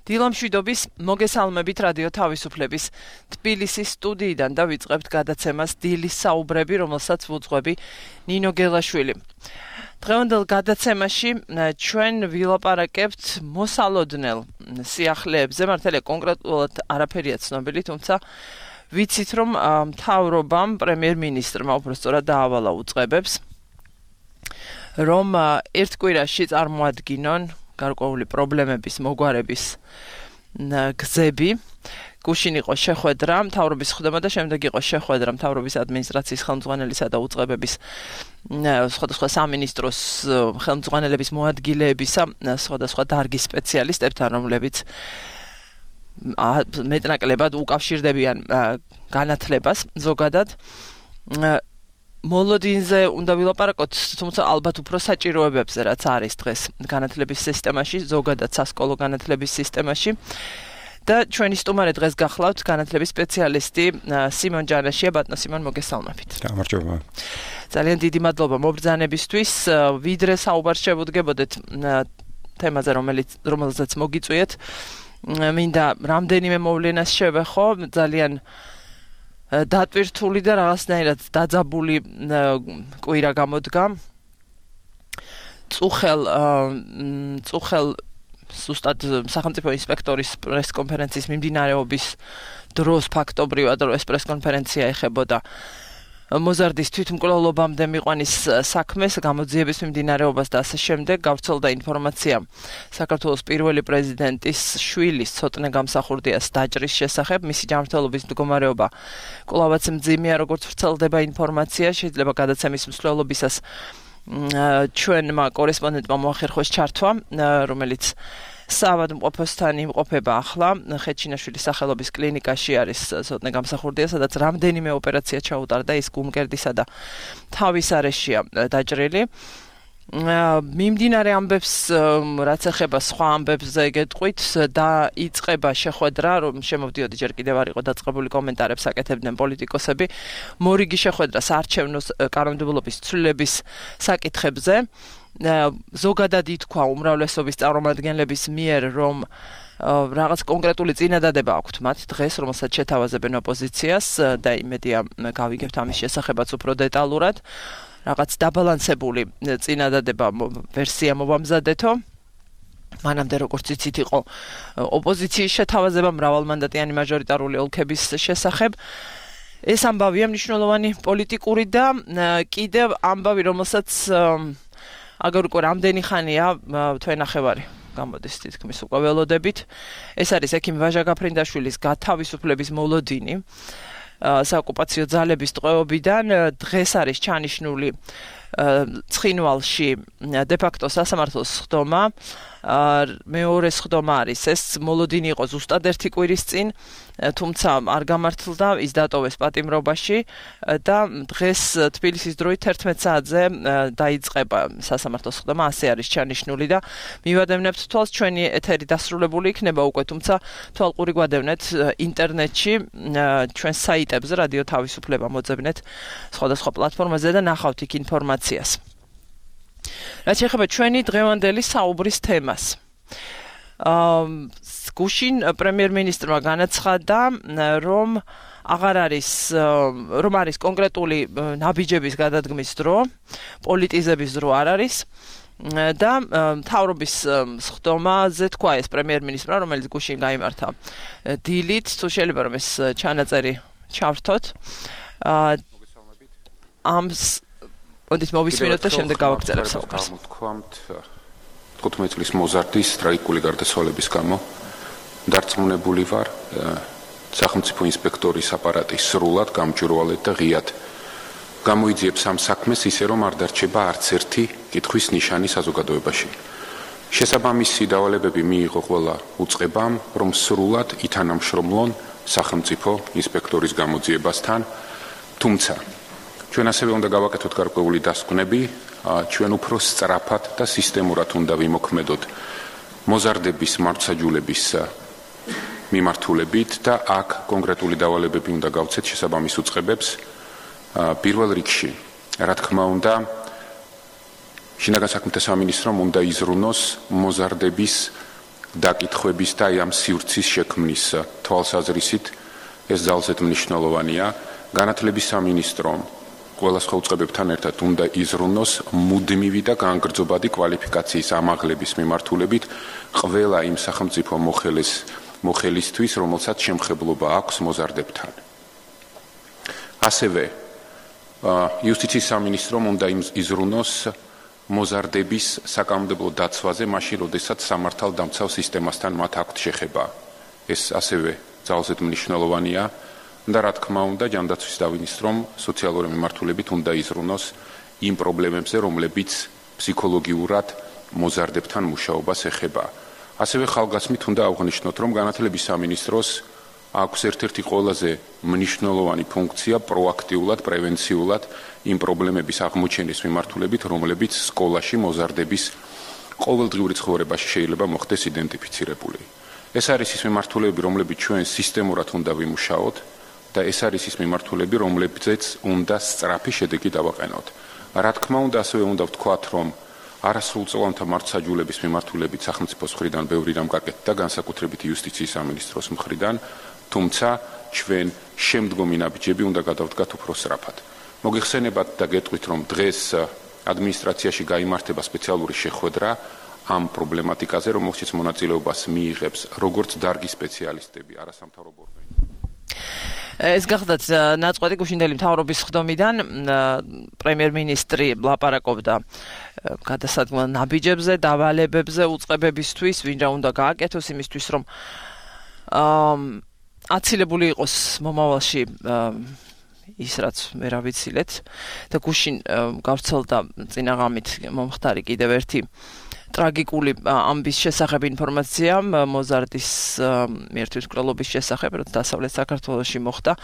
დილამშვიდობის მოგესალმებით რადიო თავისუფლების თბილისის სტუდიიდან და ვიწყებთ გადაცემას დილის საუბრები, რომელსაც ვუძღვები ნინო გელაშვილი. დღევანდელ გადაცემაში ჩვენ ვილაპარაკებთ მოსალოდნელ სიახლეებზე, მართალია კონკრეტულად არაფერია ცნობილი, თუმცა ვიცით რომ მთავრობამ პრემიერ-მინისტრმა უბრალოდ დაავალა უწყებებს, რომ ერთ კვირაში წარმოადგინონ გარკვეული პრობლემების მოგვარების გზები. გუშინ იყო შეხვედრა მთავრობის ხდომა და შემდეგ იყო შეხვედრა მთავრობის ადმინისტრაციის ხელმძღვანელისა და უწყებების სხვადასხვა სამინისტროს ხელმძღვანელების მოადგილეებისა სხვადასხვა დარგის სპეციალისტებთან, რომლებიც მეტნაკლებად უკავშირდებიან განათლებას ზოგადად. მოლოდინზე უნდა ვილაპარაკოთ, თუმცა ალბათ უფრო საჭიროებებზე, რაც არის დღეს განათლების სისტემაში, ზოგადად სასკოლო განათლების სისტემაში. და ჩვენი სტუმარი დღეს გახლავთ განათლების სპეციალისტი სიმონ ჯანაშია. ბატონო სიმონ, მოგესალმებით. გამარჯობა. ძალიან დიდი მადლობა მობრძანებისთვის. ვიდრე საუბარს შევუდგებოდეთ თემაზე, რომელზეც მოგიწვიეთ. მინდა რამდენიმე მოვლენას შევეხო, ძალიან დატვირთული და რაღაცნაირად დაძაბული კვირა გამოდგა. წუხელ ზუსტად სახელმწიფო ინსპექტორის პრესკონფერენციის მიმდინარეობის დროს ფაქტობრივად ეს პრესკონფერენცია ეხებოდა მოზარდის თვითმკვლელობამდე მიყვანის საქმეს, გამოძიების მიმდინარეობას და ასე შემდეგ. გავრცელდა ინფორმაცია საქართველოს პირველი პრეზიდენტის შვილის ცოტნე გამსახურდიას დაჭრის შესახებ. მისი ჯანმრთელობის მდგომარეობა კვლავაც მძიმეა, როგორც ვრცელდება ინფორმაცია. შეიძლება გადაცემის მსვლელობისას ჩვენმა კორესპონდენტმა მოახერხოს ჩართვა, რომელიც საავადმყოფოსთან იმყოფება ახლა ხეჩინაშვილის სახელობის კლინიკაში არის ცოტნე გამსახურდია, სადაც რამდენიმე ოპერაცია ჩაუტარდა, ის გუმკერდისა და თავის არეშია დაჭრილი. მიმდინარე ამბებს, რაც ეხება სხვა ამბებზე გეტყვით, დაიწყება შეხვედრა, რომ შემოვდიოდი ჯერ კიდევ არ იყო დაწყებული, კომენტარებს აკეთებდნენ პოლიტიკოსები. მორიგი შეხვედრა საარჩევნო კანონმდებლობის ცვლილების საკითხებზე. ზოგადად ითქვა უმრავლესობის წარმომადგენლების მიერ, რომ რაღაც კონკრეტული წინადადება აქვთ მათ დღეს, რომელსაც შეთავაზებენ ოპოზიციას და იმედია გავიგებთ ამის შესახებაც უფრო დეტალურად. რაღაც დაბალანსებული წინადადება ვერსია მოვამზადეთო. მანამდე როგორც იცით იყო ოპოზიციის შეთავაზება მრავალმანდატიანი მაჟორიტარული ოლქების შესახებ. ეს ამბავია მნიშვნელოვანი პოლიტიკური და კიდევ ამბავი, რომელსაც აგერ უკვე რამდენი ხანია თვენახევარი გამოდის თითქმის უკვე ველოდებით. ეს არის ექიმ ვაჟა გაფრინდაშვილის გათავისუფლების მოლოდინი საოკუპაციო ძალების ტყვეობიდან. დღეს არის ჩანიშნული ცხინვალში დე-ფაქტო სასამართლოს ხდომა. მეორე ხდომა არის ეს მოლოდინი იყო ზუსტად ერთი კვირის წინ, თუმცა არ გამართლდა, ის დატოვეს პატიმრობაში და დღეს თბილისის დროით 11 საათზე დაიწყება სასამართლოს ხდომა, ასე არის ჩანიშნული და მივადევნებთ თვალს, ჩვენი ეთერი დასრულებული იქნება უკვე, თუმცა თვალყური გვადევნეთ ინტერნეტში, ჩვენს საიტებზე რადიო თავისუფლება მოძებნეთ სხვადასხვა პლატფორმაზე და ნახავთ იქ ინფორმაციას. რაც შეეხება ჩვენი დღევანდელი საუბრის თემას. გუშინ პრემიერ-მინისტრმა განაცხადა, რომ არის კონკრეტული ნაბიჯების გადადგმის დრო, პოლიტიზების დრო არ არის და მთავრობის ხდომაზე თქვა ეს პრემიერ-მინისტრმა, რომელიც გუშინ გაიმართა დილით, თუ შეიძლება რომ ეს ჩანაწერი ჩავრთოთ. ოდით მოვისმინოთ და შემდეგ გავაგრძელებ საუბარს. Თქვამთ 15 წლის მოზარდის ტრაგიკული გარდაცვალების გამო დარწმუნებული ვარ, სახელმწიფო ინსპექტორის აპარატი სრულად, გამჭვირვალედ და ღიად გამოიძიებს ამ საქმეს ისე, რომ არ დარჩება არც ერთი კითხვის ნიშანი საზოგადოებაში. შესაბამისი დავალებები მიიღო ყველა უწყებამ, რომ სრულად ითანამშრომლონ სახელმწიფო ინსპექტორის გამოძიებასთან, თუმცა ჩვენ ასევე უნდა გავაკეთოთ გარკვეული დასკვნები, ჩვენ უფრო სწრაფად და სისტემურად უნდა ვიმოქმედოთ მოზარდების მართლმსაჯულების მიმართულებით და აქ კონკრეტული დავალებები უნდა გავცეთ შესაბამის უწყებებს. პირველ რიგში, რა თქმა უნდა, შინაგან საქმეთა სამინისტრომ უნდა იზრუნოს მოზარდების დაკითხვების და ამ სივრცის შექმნის თვალსაზრისით ეს ძალზედ მნიშვნელოვანია. განათლების სამინისტრომ ყველა ხელუწყებებთან ერთად უნდა იზრუნოს მუდმივი და განგრძობადი კვალიფიკაციის ამაღლების მიმართულებით ყველა იმ სახელმწიფო მოხელისთვის, რომელსაც შემხებლობა აქვს მოზარდებთან. ასევე იუსტიციის სამინისტრომ უნდა იზრუნოს მოზარდების საკანონმდებლო დაცვაზე, მაშინ, როდესაც სამართალდამცავ სისტემასთან მათ აქვთ შეხება. ეს ასევე ძალზედ მნიშვნელოვანია და რა თქმა უნდა, ჯანდაცვის სამინისტრომ სოციალური მიმართულებით უნდა იზრუნოს იმ პრობლემებზე, რომლებიც ფსიქოლოგიურად მოზარდებთან მუშაობას ეხება. ასევე ხალხგასმით უნდა აღვნიშნოთ, რომ განათლების სამინისტროს აქვს ერთ-ერთი ყველაზე მნიშვნელოვანი ფუნქცია პროაქტიულად, პრევენციულად იმ პრობლემების აღმოჩენის მიმართულებით, რომლებიც სკოლაში მოზარდების ყოველდღიური ცხოვრებაში შეიძლება მოხდეს იდენტიფიცირებული. ეს არის ის მიმართულები, რომლებიც ჩვენ სისტემურად უნდა ვიმუშაოთ და ეს არის ის მიმართულები, რომლებზეც უნდა სწრაფი შედეგი დავაყენოთ. რა თქმა უნდა, ასევე უნდა ვთქვათ, რომ არასრულწლოვანთა მართლმსაჯულების მიმართულებით სახელმწიფოს მხრიდან ბევრი რამ გაკეთდა, განსაკუთრებით იუსტიციის სამინისტროს მხრიდან, თუმცა ჩვენ შემდგომი ნაბიჯები უნდა გადავდგათ უფრო სწრაფად. მოგიხსენებათ და გეტყვით, რომ დღეს ადმინისტრაციაში გაიმართება სპეციალური შეხვედრა ამ პრობლემატიკაზე, რომელშიც მონაწილეობას მიიღებს როგორც დარგის სპეციალისტები, არასამთავრობო ორგანიზაციები. ეს გახდათ ნაწყვეტი გუშინდელი მთავრობის ხდომიდან პრემიერ-მინისტრი ლაპარაკობდა გადასადგმელ ნაბიჯებზე, დავალებებზე, უწყებებისთვის, ვინ რა უნდა გააკეთოს იმისთვის, რომ აცილებული იყოს მომავალში ის რაც მე რა ვიცილეთ და გუშინ გავრცელდა წინაღამით მომხდარი კიდევ ერთი ტრაგიკული ამბის შესახებ ინფორმაცია მოზარდის მართლმსაჯულების შესახებ, რაც დასავლეთ საქართველოში მოხდა.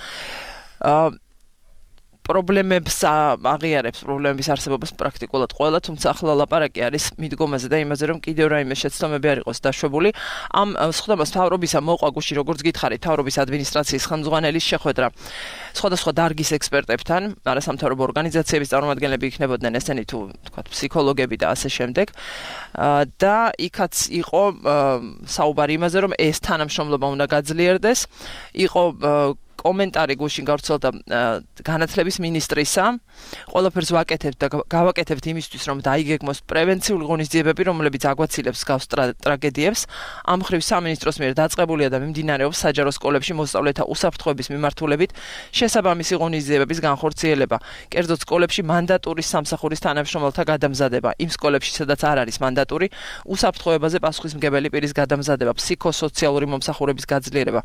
პრობლემებს აღიარებს, პრობლემების არსებობას პრაქტიკულად ყველა, თუმცა ახლა ლაპარაკი არის მიდგომაზე და იმაზე, რომ კიდევ რაიმე შეცდომები არ იყოს დაშვებული. ამ სხდომას მთავრობისა მოყვა გუშინ, როგორც გითხარით, მთავრობის ადმინისტრაციის ხელმძღვანელის შეხვედრა სხვადასხვა დარგის ექსპერტებთან, არასამთავრობო ორგანიზაციების წარმომადგენლები იქნებოდნენ, ესენი თუ თქვათ ფსიქოლოგები და ასე შემდეგ. და იქაც იყო საუბარი იმაზე, რომ ეს თანამშრომლობა უნდა გაძლიერდეს. იყო კომენტარი გუშინ გავრცელდა განათლების მინისტრისა. ყველაფერს ვაკეთებთ და გავაკეთებთ იმისთვის, რომ დაიგეგმოს პრევენციული ღონისძიებები, რომლებიც აგვაცილებს გავს ტრაგედიებს. ამ მხრივ სამინისტროს მიერ დაწყებულია და მიმდინარეობს საჯარო სკოლებში მოსწავლეთა უსაფრთხოების მიმართულებით შესაბამისი ღონისძიებების განხორციელება. კერძოდ სკოლებში მანდატური სამსახურის თანამშრომელთა გადამზადება. იმ სკოლებში, სადაც არ არის მანდატური, უსაფრთხოებაზე პასუხისმგებელი პირის გადამზადება, ფსიქოსოციალური მომსახურების გაძლიერება.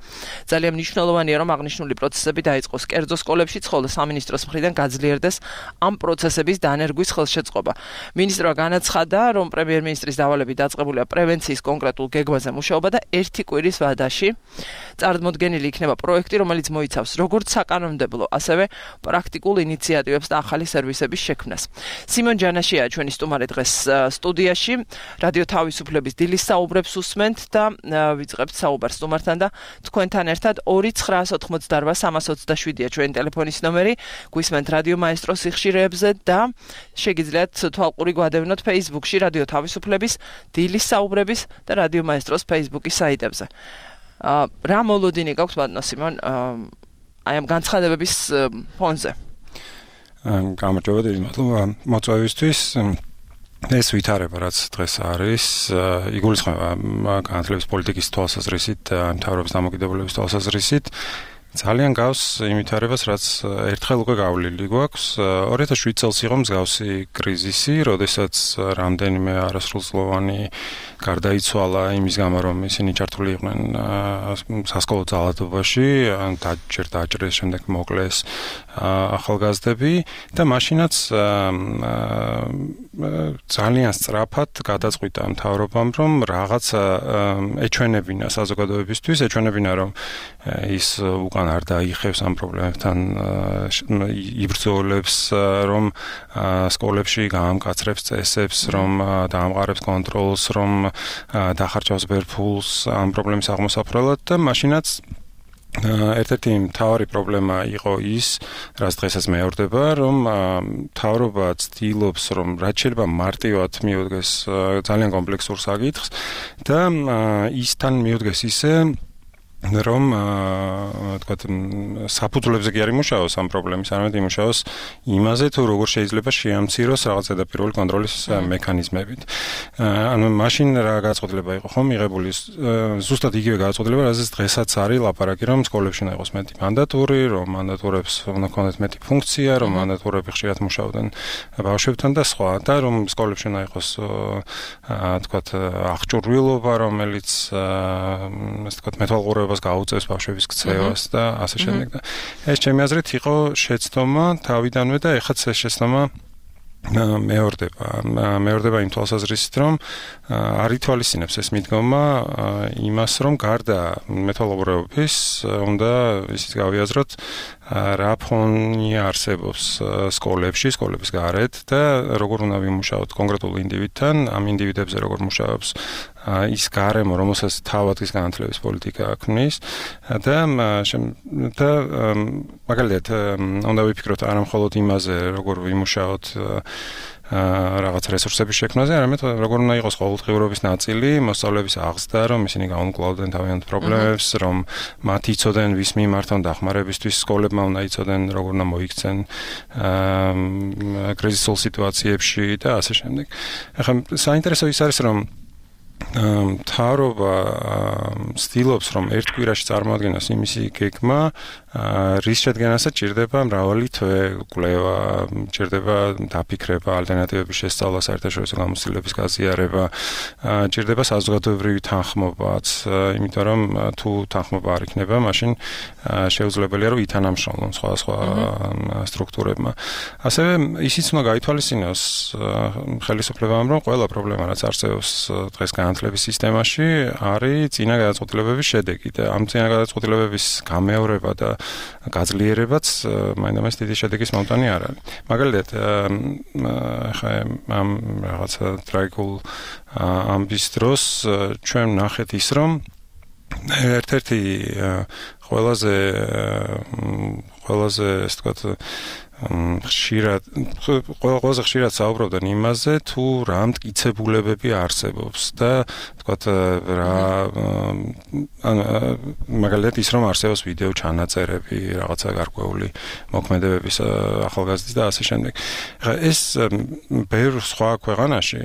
ძალიან მნიშვნელოვანია, რომ აღნიშნული პროცესები დაიწყოს კერძო სკოლებშიც, ხოლო სამინისტროს მხრიდან გაძლიერდეს ამ პროცესების დანერგვის ხელშეწყობა. მინისტრმა განაცხადა, რომ პრემიერ-მინისტრის დავალებით დაწყებულია პრევენციის კონკრეტულ გეგმაზე მუშაობა და ერთი კვირის ვადაში წარდგენილი იქნება პროექტი, რომელიც მოიცავს როგორც საკანონმდებლო, ასევე პრაქტიკულ ინიციატივებს და ახალი სერვისების შექმნას. სიმონ ჯანაშია ჩვენი სტუმარი დღეს სტუდიაში, რადიო თავისუფლების დილის საუბრებს უსმენთ და ვიწყებთ საუბარს სტუმართან და თქვენთან ერთად 2-988-327-ია ჩვენი ტელეფონის ნომერი, გვისმენთ რადიო მაესტროს სიხშირეებზე და შეგიძლიათ თვალყური გვადევნოთ Facebook-ში რადიო თავისუფლების დილის საუბრების და რადიო მაესტროს Facebook-ის საიტებზე. რა მოლოდინი გაქვთ ბატონო სიმონ აი ამ განცხადებების ფონზე? გამარჯობა, დიდი მადლობა მოწვევისთვის. ეს ვითარება, რაც დღეს არის, იგულისხმება განათლების პოლიტიკის თვალსაზრისით, მთავრობის დამოკიდებულების თვალსაზრისით. ძალიან გავს იმ ვითარებას, რაც ერთხელ უკვე გავლილი გვაქვს. 2007 წელს იყო მსგავსი კრიზისი, როდესაც რამდენიმე არასრულწლოვანი გარდაიცვალა იმის გამო, რომ ისინი ჩართული იყვნენ სასკოლო ძალადობაში, დაჭრეს, შემდეგ მოკლეს ახალგაზრდები და მაშინაც ძალიან სწრაფად გადაწყვიტა მთავრობამ, რომ რაღაცა ეჩვენებინა საზოგადოებისთვის, ეჩვენებინა, რომ ის უკან არ დაიხევს ამ პრობლემებთან იბრძოლებს, რომ სკოლებში გაამკაცრებს წესებს, რომ დაამყარებს კონტროლს, რომ დახარჯავს ბერ ფულს ამ პრობლემის აღმოსაფრელად და მაშინაც ერთ-ერთი მთავარი პრობლემა იყო ის, რაც დღესაც მეორდება, რომ მთავრობა ცდილობს, რომ რაც შეიძლება მარტივად მიუდგეს ძალიან კომპლექსურ საკითხს და ისთან მიუდგეს ისე რომ თქვათ საფუძვლებზე კი არ იმუშაოს ამ პრობლემის, არამედ იმუშაოს იმაზე, თუ როგორ შეიძლება შეამციროს რაღაც ზედაპირული კონტროლის მექანიზმებით. ანუ მაშინ რა გადაწყვეტილება იყო ხომ მიღებული ზუსტად იგივე გადაწყვეტილება, რაზეც დღესაც არის ლაპარაკი, რომ სკოლებში უნდა იყოს მეტი მანდატური, რომ მანდატურებს უნდა ქონდეთ მეტი ფუნქცია, რომ მანდატურები ხშირად მუშაობდნენ ბავშვებთან და სხვა და რომ სკოლებში უნდა იყოს თქვათ აღჭურვილობა, რომელიც ასე თქვათ მეთვალყურეობა გაუწევს ბავშვების ქცევას და ასე შემდეგ და ეს ჩემი აზრით იყო შეცდომა თავიდანვე და ეხლა ეს შეცდომა მეორდება იმ თვალსაზრისით, რომ არ ითვალისწინებს ეს მიდგომა იმას, რომ გარდა მეთვალყურეობის უნდა ისიც გავიაზროთ რა ფონი არსებობს სკოლების გარეთ და როგორ უნდა ვიმუშაოთ კონკრეტულ ინდივიდთან, ამ ინდივიდებზე როგორ მუშაობს ის გარემო, რომელსაც თავად ის განათლების პოლიტიკა ქმნის და მაგალითად უნდა ვიფიქროთ არა მხოლოდ იმაზე, როგორ ვიმუშაოთ რაღაც რესურსების შექმნაზე, არამედ როგორ უნდა იყოს ყოველდღიურობის ნაწილი, მოსწავლეების აღზრდა, რომ ისინი გაუმკლავდნენ თავიანთ პრობლემებს, რომ მათ იცოდნენ ვის მიმართ დახმარებისთვის, სკოლებმა უნდა იცოდნენ როგორ უნდა მოიქცენ კრიზისულ სიტუაციებში და ასე შემდეგ. ახლა საინტერესო ის არის, რომ მთავრობა ცდილობს, რომ ერთ კვირაში წარმოადგენოს იმისი გეგმა, რის შედგენასაც ჭირდება მრავალი თვე, კვლევა, ჭირდება დაფიქრება, ალტერნატივების შესწავლა, საერთაშორისო გამოცდილების გაზიარება, ჭირდება საზოგადოებრივი თანხმობაც, იმიტომ რომ თუ თანხმობა არ იქნება, მაშინ შეუძლებელია, რომ ითანამშრომლონ სხვა სტრუქტურებმა. ასევე ისიც უნდა გაითვალისწინოს ხელისუფლებამ, რომ ყველა პრობლემა, რაც არსებობს დღეს განათლების სისტემაში, არის წინა გადაწყვეტილებების შედეგი და ამ წინა გადაწყვეტილებების გამეორება და გაძლიერებაც მაინდამაინც დიდი შედეგის მომტანი არ არის. მაგალითად, ხა ამ რაღაცა ტრაგიკულ ამბის დროს ჩვენ ნახეთ ის, რომ ერთ-ერთი ყველაზე ასე ვთქვათ ყველაზე ხშირად საუბრობდნენ იმაზე, თუ რა მტკიცებულებები არსებობს და ვთქვათ რა მაგალითად ის რომ არსებობს ვიდეო ჩანაწერები, რაღაცა გარკვეული მოქმედებების ახალგაზრდის და ასე შემდეგ. ეს ბევრ სხვა ქვეყანაში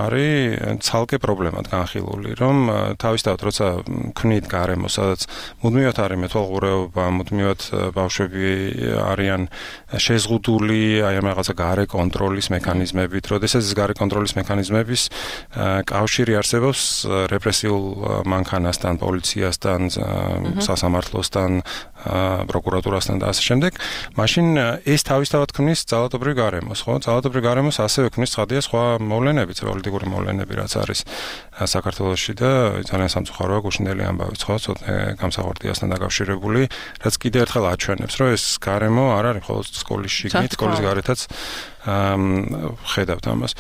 არის ცალკე პრობლემად განხილული, რომ თავისთავად როცა ქმნით გარემო, სადაც მუდმივად არის მეთვალყურეობა, მუდმივად ბავშვები არიან შეზღუდული აი ამ რაღაცა გარე კონტროლის მექანიზმებით, როდესაც ეს გარე კონტროლის მექანიზმების კავშირი არსებობს რეპრესიულ მანქანასთან, პოლიციასთან, სასამართლოსთან, პროკურატურასთან და ასე შემდეგ, მაშინ ეს თავისთავად ქმნის ძალადობრივ გარემოს, ხო? ძალადობრივ გარემოს ასევე ქმნის ცხადია სხვა მოვლენებიც, პოლიტიკური მოვლენები, რაც არის საქართველოში და ძალიან სამწუხაროა გუშინდელი ამბავიც, ხო? ცოტა გამსახურდიასთან დაკავშირებული, რაც კიდევ ერთხელ აჩვენებს, რომ ეს გარემო არ არის მხოლოდ სკოლის შიგნით, სკოლის გარეთაც ხედავთ ამას.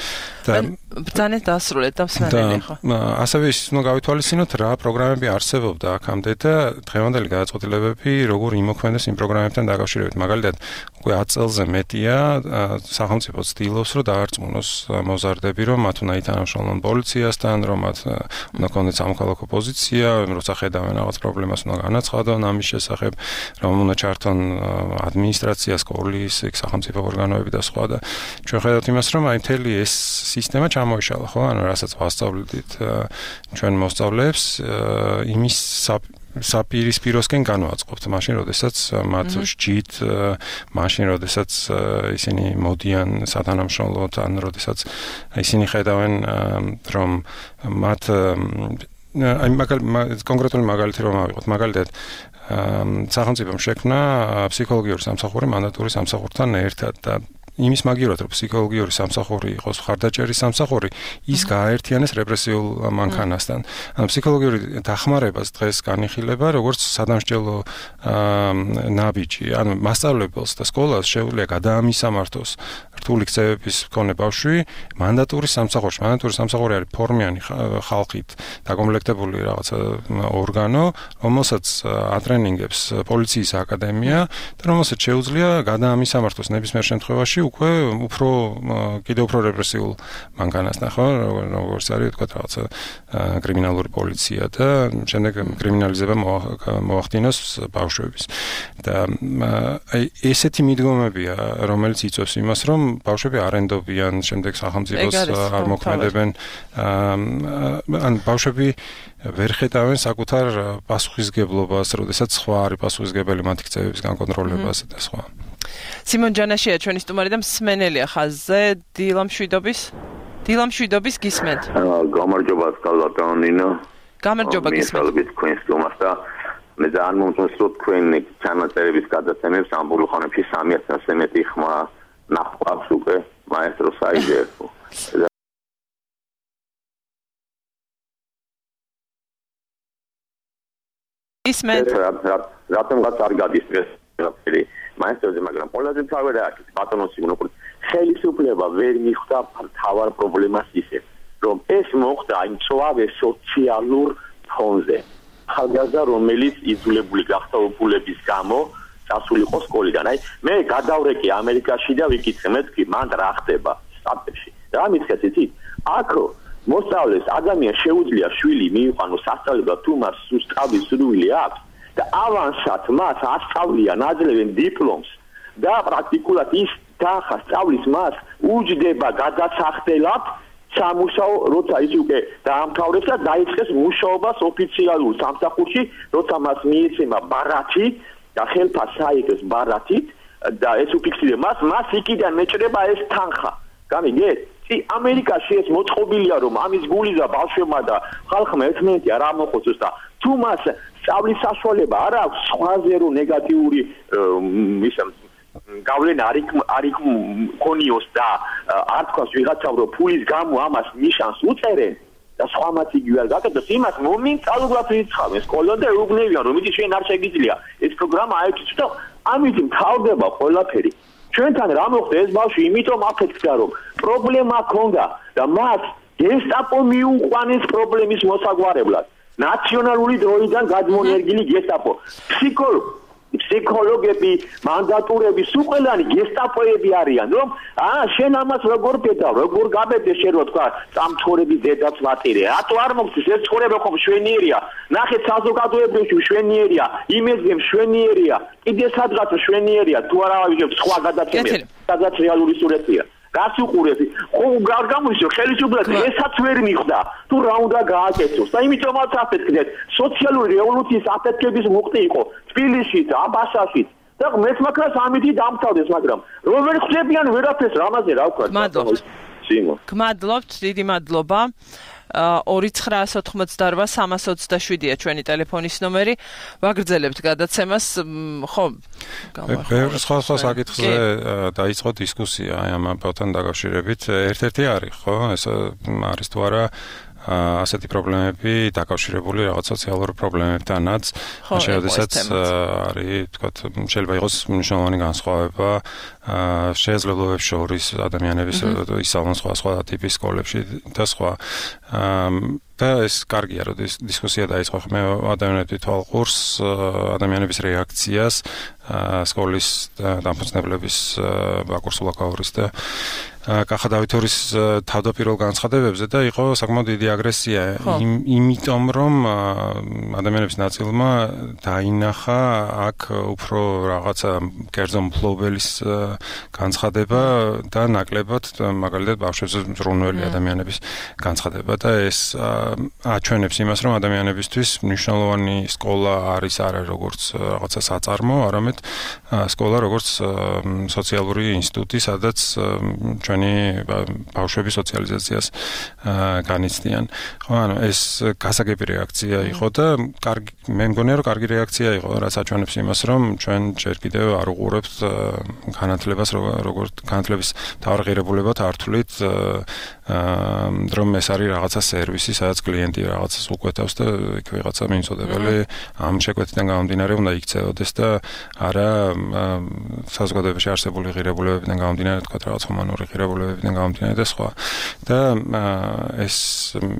და ბრძანეთ დასრულეთ და მსმენელი ხო? ასევე ის უნდა გავითვალისწინოთ რა პროგრამები არსებობდა აქამდე და დღევანდელი გადაწყვეტილებები როგორ იმოქმედებს იმ პროგრამებთან დაკავშირებით. მაგალითად, უკვე 10 წელზე მეტია სახელმწიფო ცდილობს, რომ დაარწმუნოს მოზარდები, რომ მათ უნდა ითანამშრომლონ პოლიციასთან, რომ მათ უნდა ქონდეს სამოქალაქო პოზიცია, როცა ხედავენ რაღაც პრობლემას უნდა განაცხადონ ამის შესახებ, რომ უნდა ჩართონ ადმინისტრაცია, სკოლის, სახელმწიფო ორგანოები და სხვა და ჩვენ ხედავთ იმას, რომ აი მთელი ეს სისტემა ჩამოიშალა, ხო? ანუ რასაც ვასწავლეთ ჩვენ მოსწავლეებს, იმის საპირისპიროსკენ განვაწყობთ, მაშინ როდესაც მათ სჯით, მაშინ როდესაც ისინი მოდიან სათანამშრომლოდ, ან როდესაც ისინი ხედავენ, რომ მათ აი კონკრეტული მაგალითი რომ ავიღოთ, მაგალითად სახელმწიფომ შექმნა ფსიქოლოგიური სამსახური მანდატური სამსახურთან ერთად და იმის მაგივრად რომ ფსიქოლოგიური სამსახური იყოს მხარდაჭერის სამსახური, ის გააერთიანეს რეპრესიულ მანქანასთან. ანუ ფსიქოლოგიური დახმარებას დღეს განიხილება როგორც სადამსჯელო ნაბიჯი. ანუ მასწავლებელს და სკოლას შეუძლია გადაამისამართოს რთული ქცევების მქონე ბავშვი მანდატური სამსახურში. მანდატური სამსახური არის ფორმიანი ხალხით დაკომპლექტებული რაღაცა ორგანო, რომელსაც ატრენინგებს პოლიციის აკადემია და რომელსაც შეუძლია გადაამისამართოს ნებისმიერ შემთხვევაში უკვე კიდევ უფრო რეპრესიულ მანქანასთან, ხო, როგორც არის თქვა რაღაცა კრიმინალური პოლიცია და შემდეგ კრიმინალიზება მოახდინოს ბავშვების. და აი ესეთი მიდგომებია, რომელიც იწვევს იმას, რომ ბავშვები არ ენდობიან, შემდეგ სახელმწიფოს არ მოქმედებენ, ან ბავშვები ვერ ხედავენ საკუთარ პასუხისგებლობას, როდესაც სხვა არის პასუხისგებელი მათი ქცევების განკონტროლებაზე და სხვა. სიმონ ჯანაშია ჩვენი სტუმარი და მსმენელია ხაზზე დილამშვიდობის გისმენთ. გამარჯობა სკალატონინო. გამარჯობა გისმენთ. თქვენ სტუმარს და მე ძალიან მომწონს რომ თქვენ ჩანაწერების გადაცემებს ამბულ ხანებში 300-ზე მეტი ხმა ნახავს უკვე მაესტრო საიდე. გისმენთ. რატომღაც არ გადის ყველაფერი მაესტროზე, მაგრამ ყველაზე თავი რა არის ბატონო სიმონ, ხელისუფლება ვერ მიხვდა თავარ პრობლემას ისე, რომ ეს მოხდა იმ წვავე სოციალურ ფონზე. ხალხი რომელიც იძულებული გახდა უფლების გამო წასულიყო სკოლიდან. აი მე გადავრეკე ამერიკაში და ვიკითხე მეთქი მან რა ხდება სტატებში. რა მითხეთ იცით? აქ მოსწავლეს ადამიანს შეუძლია შვილი მიიყვანოს სასწავლებლად თუ მას სუსტავი სურვილი აქვს და ავანსად მას ასწავლიან აძლევენ დიპლომს და პრაქტიკულად ის თანხა სწავლის მას უჯდება გადასახდელად სამუშაო როცა ის უკვე დაამთავრებს და დაიწყეს მუშაობას ოფიციალურ სამსახურში, როცა მას მიეცემა ბარათი და ხელფას საიგეს ბარათით და ეს უფიქსირება მას იქიდან მეჭრება ეს თანხა. გამიგეთ? ამერიკაში ეს მოწყობილია რომ ამის გულიზა ბავშვებმა და ხალხმა ერთმანეთი არ ამოხოცოს და თუ მას სწავლის საშუალება არ აქვს სხვაზე რომ ნეგატიური გავლენა არ იქონიოს და არ თქვას ვიღაცამ რომ ფულის გამო ამას ნიშანს უწერენ და სხვამაც იგივე არ გაკეთოს, იმას მომენტალურად რიცხავენ სკოლიდან და ეუბნებიან რომ იცი შენ არ შეგიძლია ეს პროგრამა აიჭიც და ამით მთავრდება ყველაფერი. ჩვენთან რა მოხდა ეს ბავშვი იმიტომ აფეთქდა რომ პრობლემა ჰქონდა და მას გესტაპო მიუყვანეს პრობლემის მოსაგვარებლად. ნაციონალური დროიდან გადმონერგილი გესტაპო. ფსიქოლოგები, მანდატურები, სულ ყველანი გესტაპოები არიან, რომ შენ ამას როგორ პედავ, როგორ გაბედე შენ რო თქვა, სამწორების დედაც ვატირე. რატო არ მოგწეს ეს ცხოვრება ხომ შვენიერია? ნახეთ საზოგადოებაში შვენიერია, იმედზე შვენიერია, კიდე სადღაც შვენიერია, თუ არა ვიჟებ სხვა გადაცემები, სადაც რეალური სურათია. რას უყურებთ? ხო არ გამოიშო ხელისუფლება ესაც ვერ მიხვდა, თუ რა უნდა გააკეთოს. და იმიტომაც აფეთქდეთ, სოციალური რევოლუციის აფეთქების მუხტი იყო თბილისშიც, აბასაშიც. და მეც მაგას ამითი დამთავრდეს, მაგრამ როგორ ხდებიან ვერაფერს რამაზე რა ვქვა? გმადლობთ, დიდი მადლობა. 2988-327-ია ჩვენი ტელეფონის ნომერი. ვაგრძელებთ გადაცემას, ხო? ბევრი სხვა საკითხზე დაიწყო დისკუსია აი ამ ამბავთან დაკავშირებით. ერთ-ერთი არის, ხო? ეს არის თუ არა ასეთი პრობლემები დაკავშირებული რაღაც სოციალურ პრობლემებთანაც, შესაძაც არის, თქვათ, შეიძლება იყოს მნიშვნელოვანი განსხვავება შესაძლებლობებს შორის ადამიანების ისწავლონ სხვა ტიპის სკოლებში და სხვა. და ეს კარგია, რომ დისკუსია დაიწყო. მე ადამიანები თვალყურს ადამიანების რეაქციას სკოლის დამფუძნებლების ბაკურსულა კაურის და კახა დავითორის თავდაპირველ განცხადებებზე და იყო საკმაოდ დიდი აგრესია იმიტომ რომ ადამიანების ნაწილმა დაინახა აქ უფრო რაღაცა კერძო მფლობელის განცხადება და ნაკლებად მაგალითად ბავშვებზე მზრუნველი ადამიანების განცხადება და ეს აჩვენებს იმას რომ ადამიანებისთვის მნიშვნელოვანი სკოლა არის არა როგორც რაღაცა საწარმო, არამედ სკოლა როგორც სოციალური ინსტიტუტი, სადაც ჩვენი ბავშვების სოციალიზაციას განიცდიან. ხო, ანუ ეს გასაგები რეაქცია იყო და მე მგონია რომ კარგი რეაქცია იყო, რაც აჩვენებს იმას რომ ჩვენ ჯერ კიდევ არ უყურებთ განათლებას განათლებას როგორც განათლების თავღირებულებად ართულით რომ ეს არის რაღაცა სერვისი, სადაც კლიენტი რაღაცას უკვეთავს და იქ ვიღაცა მიმწოდებელი ამ შეკვეთიდან გამომდინარე უნდა იქცეოდეს და არა საზოგადოებაში არსებული ღირებულებებიდან გამომდინარე, თქვა რაღაც ჰუმანური ღირებულებებიდან გამომდინარე და სხვა. და ეს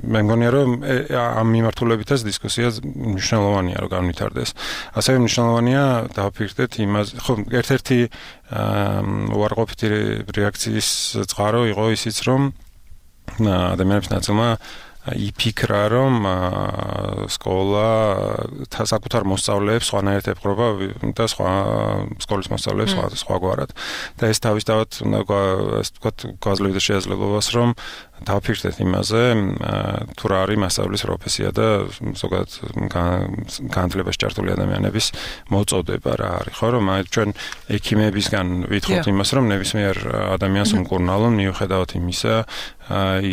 მე მგონია რომ ამ მიმართულებითაც დისკუსია მნიშვნელოვანია რომ განვითარდეს. ასევე მნიშვნელოვანია დავფიქრდეთ იმას, ხო, ერთ-ერთი უარყოფითი რეაქციის წყარო იყო ისიც რომ ადამიანების ნაწილმა იფიქრა რომ სკოლა საკუთარ მოსწავლეებს სხვანაირად ეპყრობა და სხვა სკოლის მოსწავლეებს სხვაგვარად და ეს თავისთავად ასე ვთქვათ გვაძლევდა შესაძლებლობას რომ დავფიქრდეთ იმაზე თუ რა არის მასწავლებლის პროფესია და ზოგადად განათლებაში ჩართული ადამიანების მოწოდება რა არის ხო რომ ჩვენ ექიმებისგან ვითხოვთ იმას რომ ნებისმიერ ადამიანს უმკურნალონ მიუხედავად იმისა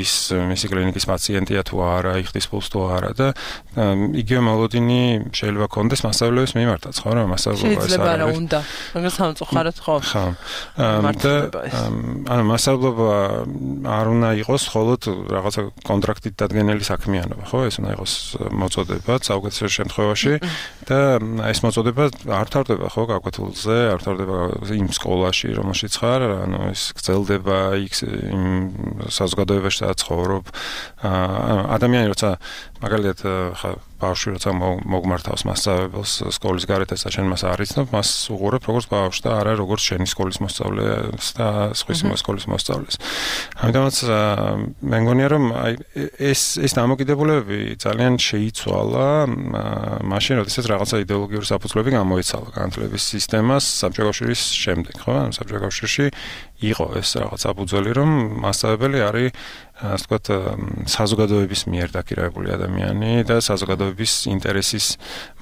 ის მისი კლინიკის პაციენტია თუ არა, იხდის ფულს თუ არა და იგივე მოლოდინი შეიძლება კონდეს მასწავლებლების მიმართაც, ხო რა, მასწავლებლობა ეს არის. შეიძლება რა უნდა. მაგას სამწუხაროდ ხო. ხო. ანუ მასწავლებლობა არ უნდა იყოს მხოლოდ რაღაცა კონტრაქტით დადგენილი საქმიანობა, ხო? ეს უნდა იყოს მოწოდება საუკეთესო შემთხვევაში და ეს მოწოდება არ თავდება ხო გაკვეთილზე, არ თავდება იმ სკოლაში, რომელშიც ხარ, ანუ ეს გრძელდება იქ იმ საზოგადოებაში სადაც ცხოვრობ. ადამიანი როცა მაგალითად ხა ბავშვი როცა მოგმართავს მასწავლებელს სკოლის გარეთ და შენ მას არ იცნობ, მას უყურებ როგორც ბავშვს და არა როგორც შენი სკოლის მოსწავლეს და სხვისი სკოლის მოსწავლეს. ამიტომაც მე მგონია რომ ეს დამოკიდებულებები ძალიან შეიცვალა მაშინ როდესაც რაღაცა იდეოლოგიური საფუძვლები გამოიცალა განათლების სისტემას საბჭოთა კავშირის შემდეგ, ხო? საბჭოთა კავშირში იყო ეს რაღაც საფუძველი რომ მასწავლებელი არის ასე ვთქვათ საზოგადოების მიერ დაქირავებული ადამიანი და საზოგადოების ინტერესის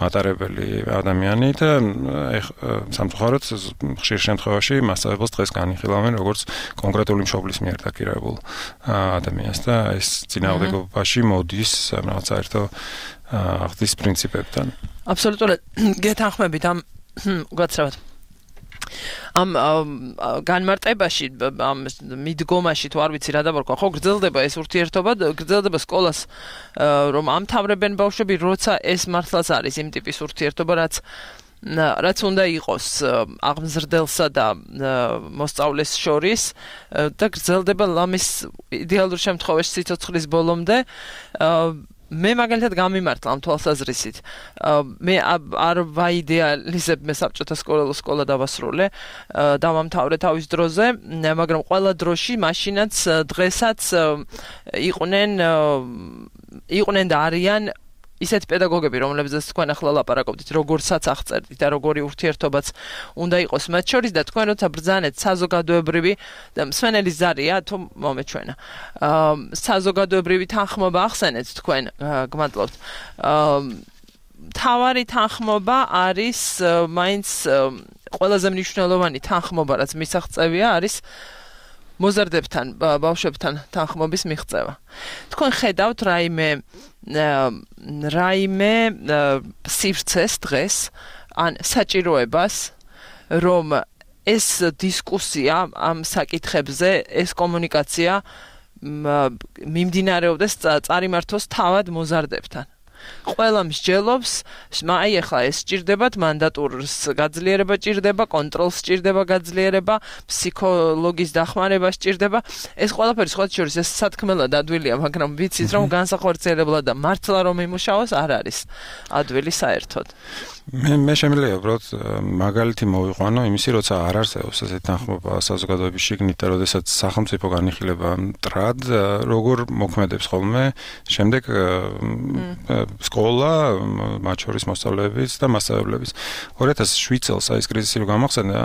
მატარებელი ადამიანი და სამწუხაროდ ხშირ შემთხვევაში მასწავლებელს დღეს განიხილავენ როგორც კონკრეტული მშობლის მიერ დაქირავებულ ადამიანს და ეს წინააღმდეგობაში მოდის რაღაც საერთო აღზრდის პრინციპებთან. აბსოლუტურად გეთანხმებით ამ უკაცრავად ამ განმარტებაში ამ მიდგომაში თუ არ ვიცი რა დაბარქვა ხო გრძელდება ეს ურთიერთობა გრძელდება სკოლას რომ ამთავრებენ ბავშვები როცა ეს მართლაც არის იმ ტიპის ურთიერთობა რაც უნდა იყოს აღმზრდელსა და მოსწავლეს შორის და გრძელდება ლამის იდეალურ შემთხვევაში სიცოცხლის ბოლომდე მე მაგალითად გამიმართლა ამ თვალსაზრისით. მე არ ვაიდეალიზებ მე საბჭოთა სკოლა დავასრულე, დავამთავრე თავის დროზე, მაგრამ ყველა დროში მაშინაც დღესაც იყვნენ და არიან ისეთ პედაგოგები, რომლებზეც თქვენ ახლა ლაპარაკობთ, როგორცაც აღწერთ და როგორი ურთიერთობაც უნდა იყოს მათ შორის და თქვენ როცა ბრძანეთ საზოგადოებრივი და მსვენელი ზარია თუ მომეჩვენა. საზოგადოებრივი თანხმობა ახსენეთ თქვენ, გმადლობთ. თავარი თანხმობა არის მაინც ყველაზე მნიშვნელოვანი თანხმობა, რაც მისაღწევია, არის მოზარდებთან, ბავშვებთან თანხმობის მიღწევა. თქვენ ხედავთ რაიმე სივრცეს დღეს ან საჭიროებას რომ ეს დისკუსია ამ საკითხებზე ეს კომუნიკაცია მიმდინარეობდეს წარიმართოს თავად მოზარდებთან ყველა მსჯელობს აი ახლა ეს სჭირდებათ მანდატურს გაძლიერება სჭირდება კონტროლს სჭირდება გაძლიერება ფსიქოლოგის დახმარება სჭირდება ეს ყველაფერი სხვა შორის ეს სათქმელად ადვილია მაგრამ ვიცით რომ განსახორციელებლად და მართლა რომ იმუშაოს არ არის ადვილი საერთოდ მე შემიძლია უბრალოდ მაგალითი მოვიყვანო იმისი როცა არ არსებობს ესეთი თანხმობა საზოგადოების შიგნით და როდესაც სახელმწიფო განიხილება მტრად როგორ მოქმედებს ხოლმე შემდეგ სკოლა მათ შორის მოსწავლეების და მასწავლებლის 2007 წელს აი ეს კრიზისი რო გამახსენდა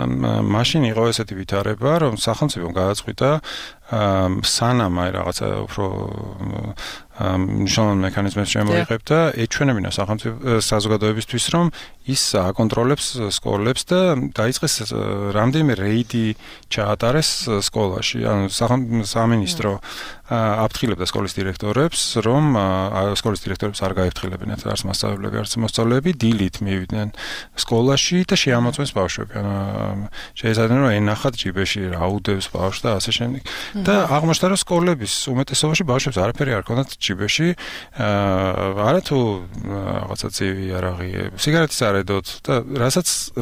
მაშინ იყო ესეთი ვითარება რომ სახელმწიფომ გადაწყვიტა სანამ აი რაღაცა უფრო მნიშვნელოვანი მექანიზმებს შემოიღებდა ეჩვენებინა სახელმწიფო საზოგადოებისთვის რომ ის აკონტროლებს სკოლებს და დაიწყეს რამდენიმე რეიდი ჩაატარეს სკოლაში ანუ სამინისტრო აფრთხილებდა სკოლის დირექტორებს, რომ სკოლის დირექტორებს არ გაიფრთხილებინათ არც მასწავლებლები, არც მოსწავლეები, დილით მივიდნენ სკოლაში და შეამოწმეს ბავშვები. შეიძლება რომ ენახათ ჯიბეში რა უდევს ბავშვს და ასე შემდეგ. და აღმოჩნდა რომ სკოლების უმეტესობაში ბავშვებს არაფერი არ ქონდათ ჯიბეში, არათუ რაღაცა ცივი არაღი, სიგარეტის არ ედოთ და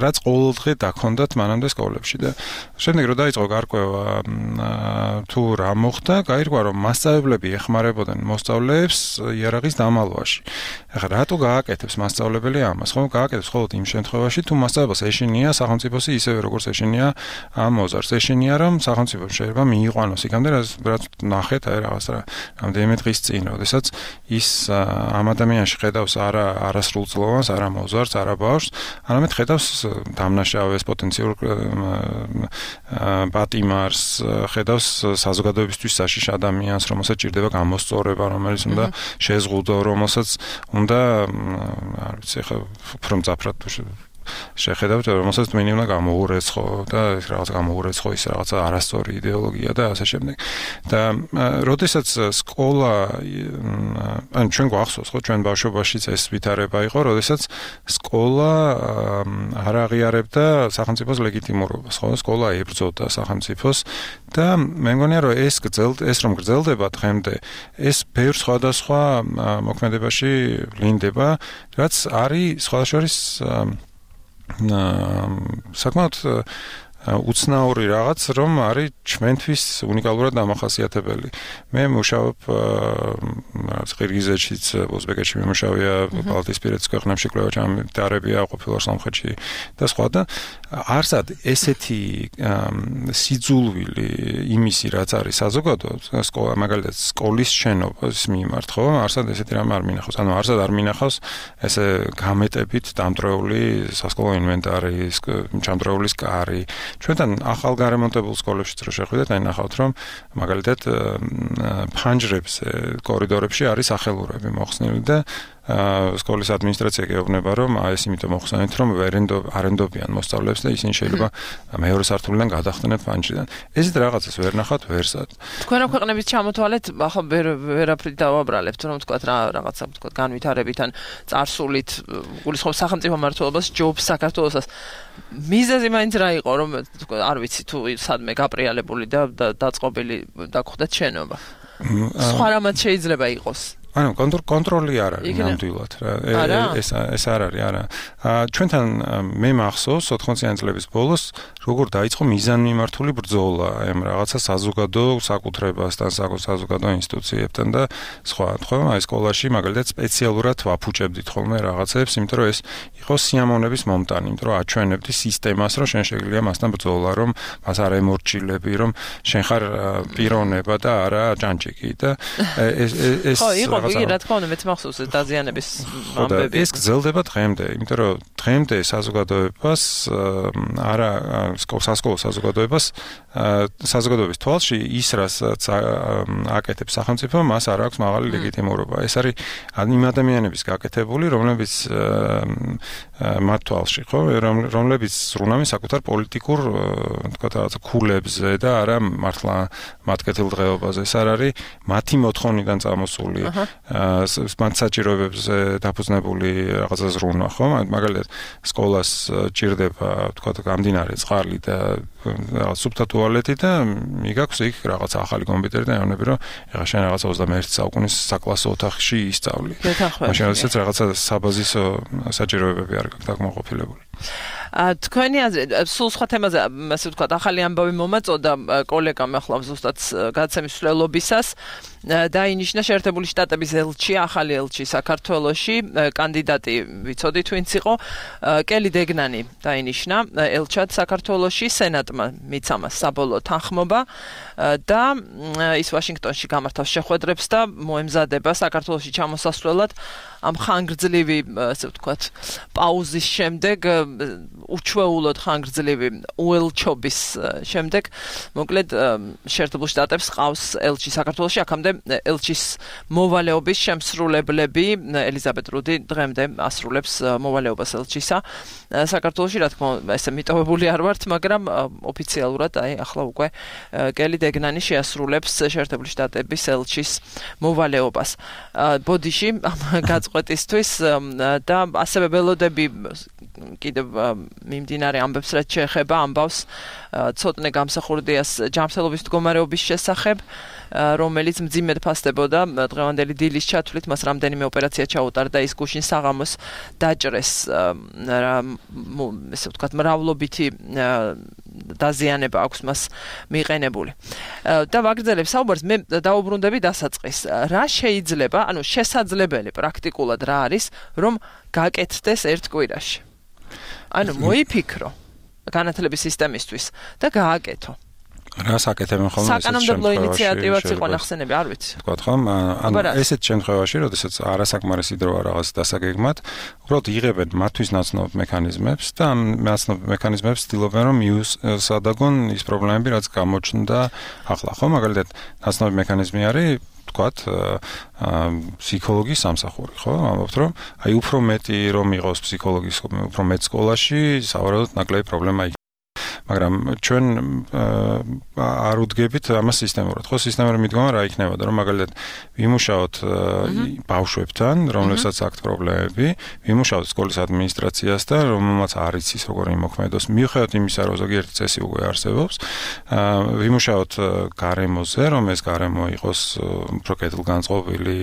რაც ყოველდღე დაქონდათ მანამდე სკოლებში და შემდეგ რომ დაიწყო გარკვევა თუ რა მოხდა, გაირკვა რომ მასწავლებლები ეხმარებოდნენ მოსწავლეებს იარაღის დამალვაში. ახლა რატო გააკეთებს მასწავლებელი ამას? ხო, გააკეთებს მხოლოდ იმ შემთხვევაში, თუ მასწავლებლს ეშინია სახელმწიფოსი ისევე როგორც ეშინია ამ მოზარდს. ეშინია რომ სახელმწიფო შეიძლება მიიყვანოს იქამდე რაც ნახეთ აი რაღაც რამდენიმე დღის წინ, როდესაც ის ამ ადამიანში ხედავს არასრულწლოვანს, არა მოზარდს, არა ბავშვს, არამედ ხედავს დამნაშავეს პოტენციურ პატიმარს, ხედავს საზოგადოებისთვის საშიშ ადამიანს, რომელსაც ჭირდება გამოსწორება, რომელიც უნდა შეზღუდო, რომელსაც უნდა არ ვიცი, ხა უფრო მძაფრად შეხედავთ, რომელსაც თქვენი უნდა გამოურეცხო და ეს რაღაც გამოურეცხო ის რაღაცა არასწორი იდეოლოგია და ასე შემდეგ. და როდესაც სკოლა ან ჩვენ გვახსოვს, ხო, ჩვენ ბავშვობაშიც ეს ვითარება იყო, როდესაც სკოლა არ აღიარებდა სახელმწიფოს ლეგიტიმურობას, ხო, სკოლა ებრძოდა სახელმწიფოს და მე მგონია რომ ეს რომ გრძელდება დღემდე, ეს ბევრ სხვადასხვა მოქმედებაში ვლინდება, რაც არის სხვადასხვის საკმაოდ უცნაური რაღაც, რომ არის ჩვენთვის უნიკალურად დამახასიათებელი. მე მუშაობ ყირგიზეთშიც, უზბეკეთში მიმუშავია, ბალტიისპირეთის ქვეყნებში კვლევა-ჩამოყალიბებია ყოფილა სომხეთში და სხვა და არსად ესეთი სიძულვილი იმისი, რაც არის საზოგადოებრივ, სკოლა მაგალითად სკოლის შენობის მიმართ, ხო? არსად ესეთი რამ არ მინახავს. ანუ არსად არ მინახავს ესე გამეტებით დამტრეული სასკოლო ინვენტარი, ჩამდრეულის კარი. ჩვენთან ახალ გარემონტებულ სკოლებშიც რო შეხვიდეთ, აი ნახავთ რომ მაგალითად ფანჯრებს კორიდორებში არის სახელურები მოხსნილი და სკოლის ადმინისტრაცია გეუბნება რომ ეს იმიტომ მოხსენით რომ არენდობიან მოსწავლეებს და ისინი შეიძლება მეორე სართულიდან გადახტნენ ფანჯრიდან. ესეთ რაღაცას ვერ ნახავთ ვერსად. თქვენ რა ქვეყნების ჩამოთვალეთ, ახლა ვერაფრით დავაბრალებთ, რომ თქვა რაღაცა თქვა განვითარებით ან წარსულით გულისხმობს სახელმწიფო მმართველობას, ჯობს საქართველოსაც. მიზეზი მაინც რა იყო, რომ თქვა არ ვიცი თუ სადმე გაპრიალებული და დაწყობილი დაგხვდეთ შენობა. სხვა რამაც შეიძლება იყოს. ანუ კონტროლი არ არის ნამდვილად რა. ეს არ არის, არა. ჩვენთან მე მახსოვს 80-იანი წლების ბოლოს როგორ დაიწყო მიზანმიმართული ბრძოლა ამ რაღაცა საზოგადო საკუთრებასთან, საზოგადო ინსტიტუციებთან და სხვა. ხო, აი სკოლაში მაგალითად სპეციალურად ვაფუჭებდით ხოლმე რაღაცებს, იმიტომ რომ ეს იყო სიამოვნების მომტანი, იმიტომ რომ აჩვენებდი სისტემას, რომ შენ შეგვიძლია მასთან ბრძოლა, რომ მას არ ემორჩილები, რომ შენ ხარ პიროვნება და არა ჯანჯიკი და ეს იგი რა თქმა უნდა მეც მახსოვს დაზიანების ამბები. ეს გრძელდება დღემდე, იმიტომ რომ დღემდე საზოგადოებას არა სასკოლო საზოგადოების თვალში ის რასაც აკეთებს სახელმწიფო, მას არ აქვს მაღალი ლეგიტიმურობა. ეს არის იმ ადამიანების გაკეთებული, რომლებიც მათ თვალში, ხო, რომლებიც ზრუნავენ საკუთარ პოლიტიკურ თქვა რაღაცა ქულებზე და არა მართლა მათ კეთილდღეობაზე. ეს არ არის მათი მოთხოვნიდან წამოსული მათ საჭიროებებზე დაფუძნებული რაღაცა ზრუნვა, ხო? მაგალითად, სკოლას ჭირდება, თქვა, გამდინარე წყალი და რაღაც სუფთა ტუალეტი და მიგაქვს იქ რაღაცა ახალი კომპიუტერი და ეუბნები, რომ ეხლა შენ რაღაცა 21 საუკუნის საკლასო ოთახში ისწავლი. მაშინ როდესაც რაღაცა საბაზისო საჭიროებები არ გაქვს დაკმაყოფილებული. თქვენი სულ სხვა თემაზე, ასე ვთქვათ, ახალი ამბავი მომაწოდა კოლეგამ ახლა ზუსტად გადაცემის მსვლელობისას დაინიშნა შეერთებული შტატების ელჩი, ახალი ელჩი საქართველოში, კანდიდატი ვიცოდით ვინც იყო, კელი დეგნანი დაინიშნა ელჩად საქართველოში, სენატმა მიცა მას საბოლოო თანხმობა და ის ვაშინგტონში გამართავს შეხვედრებს და მოემზადება საქართველოში ჩამოსასვლელად ამ ხანგრძლივი, ასე ვთქვათ, პაუზის შემდეგ უჩვეულოდ ხანგრძლივი უელჩობის შემდეგ მოკლედ შეერთებულ შტატებს ყავს ელჩი საქართველოში აქამდე ელჩის მოვალეობის შემსრულებლები ელიზაბეთ რუდი დღემდე ასრულებს მოვალეობას ელჩისა საქართველოში რა თქმა უნდა ესე მიტოვებული არ ვართ მაგრამ ოფიციალურად აი ახლა უკვე კელი დეგნანი შეასრულებს შეერთებული შტატების ელჩის მოვალეობას ბოდიში ამ გაწყვეტისთვის და ასევე ველოდები კიდევ მიმდინარე ამბებს რაც შეეხება ამბავს ცოტნე გამსახურდიას ჯანმრთელობის მდგომარეობის შესახებ რომელიც მძიმედ ფასდებოდა დღევანდელი დილის ჩათვლით მას რამდენიმე ოპერაცია ჩაუტარდა ის გუშინ საღამოს დაჭრეს ესე ვთქვათ მრავლობითი დაზიანება აქვს მას მიყენებული და ვაგრძელებ საუბარს მე დაუბრუნდები დასაწყის რა შეიძლება ანუ შესაძლებელი პრაქტიკულად რა არის რომ გაკეთდეს ერთ კვირაში ანუ მოიფიქრო განათლების სისტემისთვის და გააკეთო რას აკეთებენ ხოლმე საკანონმდებლო ინიციატივაც იყო ნახსენები არ ვიცი თქვა ხომ ანუ ესეთ შემთხვევაში როდესაც არასაკმარისი დროა რაღაც დასაგეგმად უბრალოდ იღებენ მათთვის ნაცნობ მექანიზმებს და ამ ნაცნობ მექანიზმებს ცდილობენ რომ მიუსადაგონ ის პრობლემები რაც გამოჩნდა ახლა ხო მაგალითად ნაცნობი მექანიზმი არის ვთქვათ ფსიქოლოგის სამსახური ხო ამბობთ რომ აი უფრო მეტი რომ იყოს ფსიქოლოგის უფრო მეტ სკოლაში სავარაუდოდ ნაკლები პრობლემა მაგრამ ჩვენ არ უდგებით ამას სისტემურად. ხო, სისტემური მიდგომა რა იქნებოდა, რომ მაგალითად ვიმუშაოთ ბავშვებთან, რომლებსაც აქვთ პრობლემები, ვიმუშაოთ სკოლის ადმინისტრაციას და რომელმაც არ იცის როგორ იმოქმედოს, მიუხედავად იმისა, რომ ზოგიერთი წესი უკვე არსებობს, ვიმუშაოთ გარემოზე, რომ ეს გარემო იყოს უფრო კეთილგანწყობილი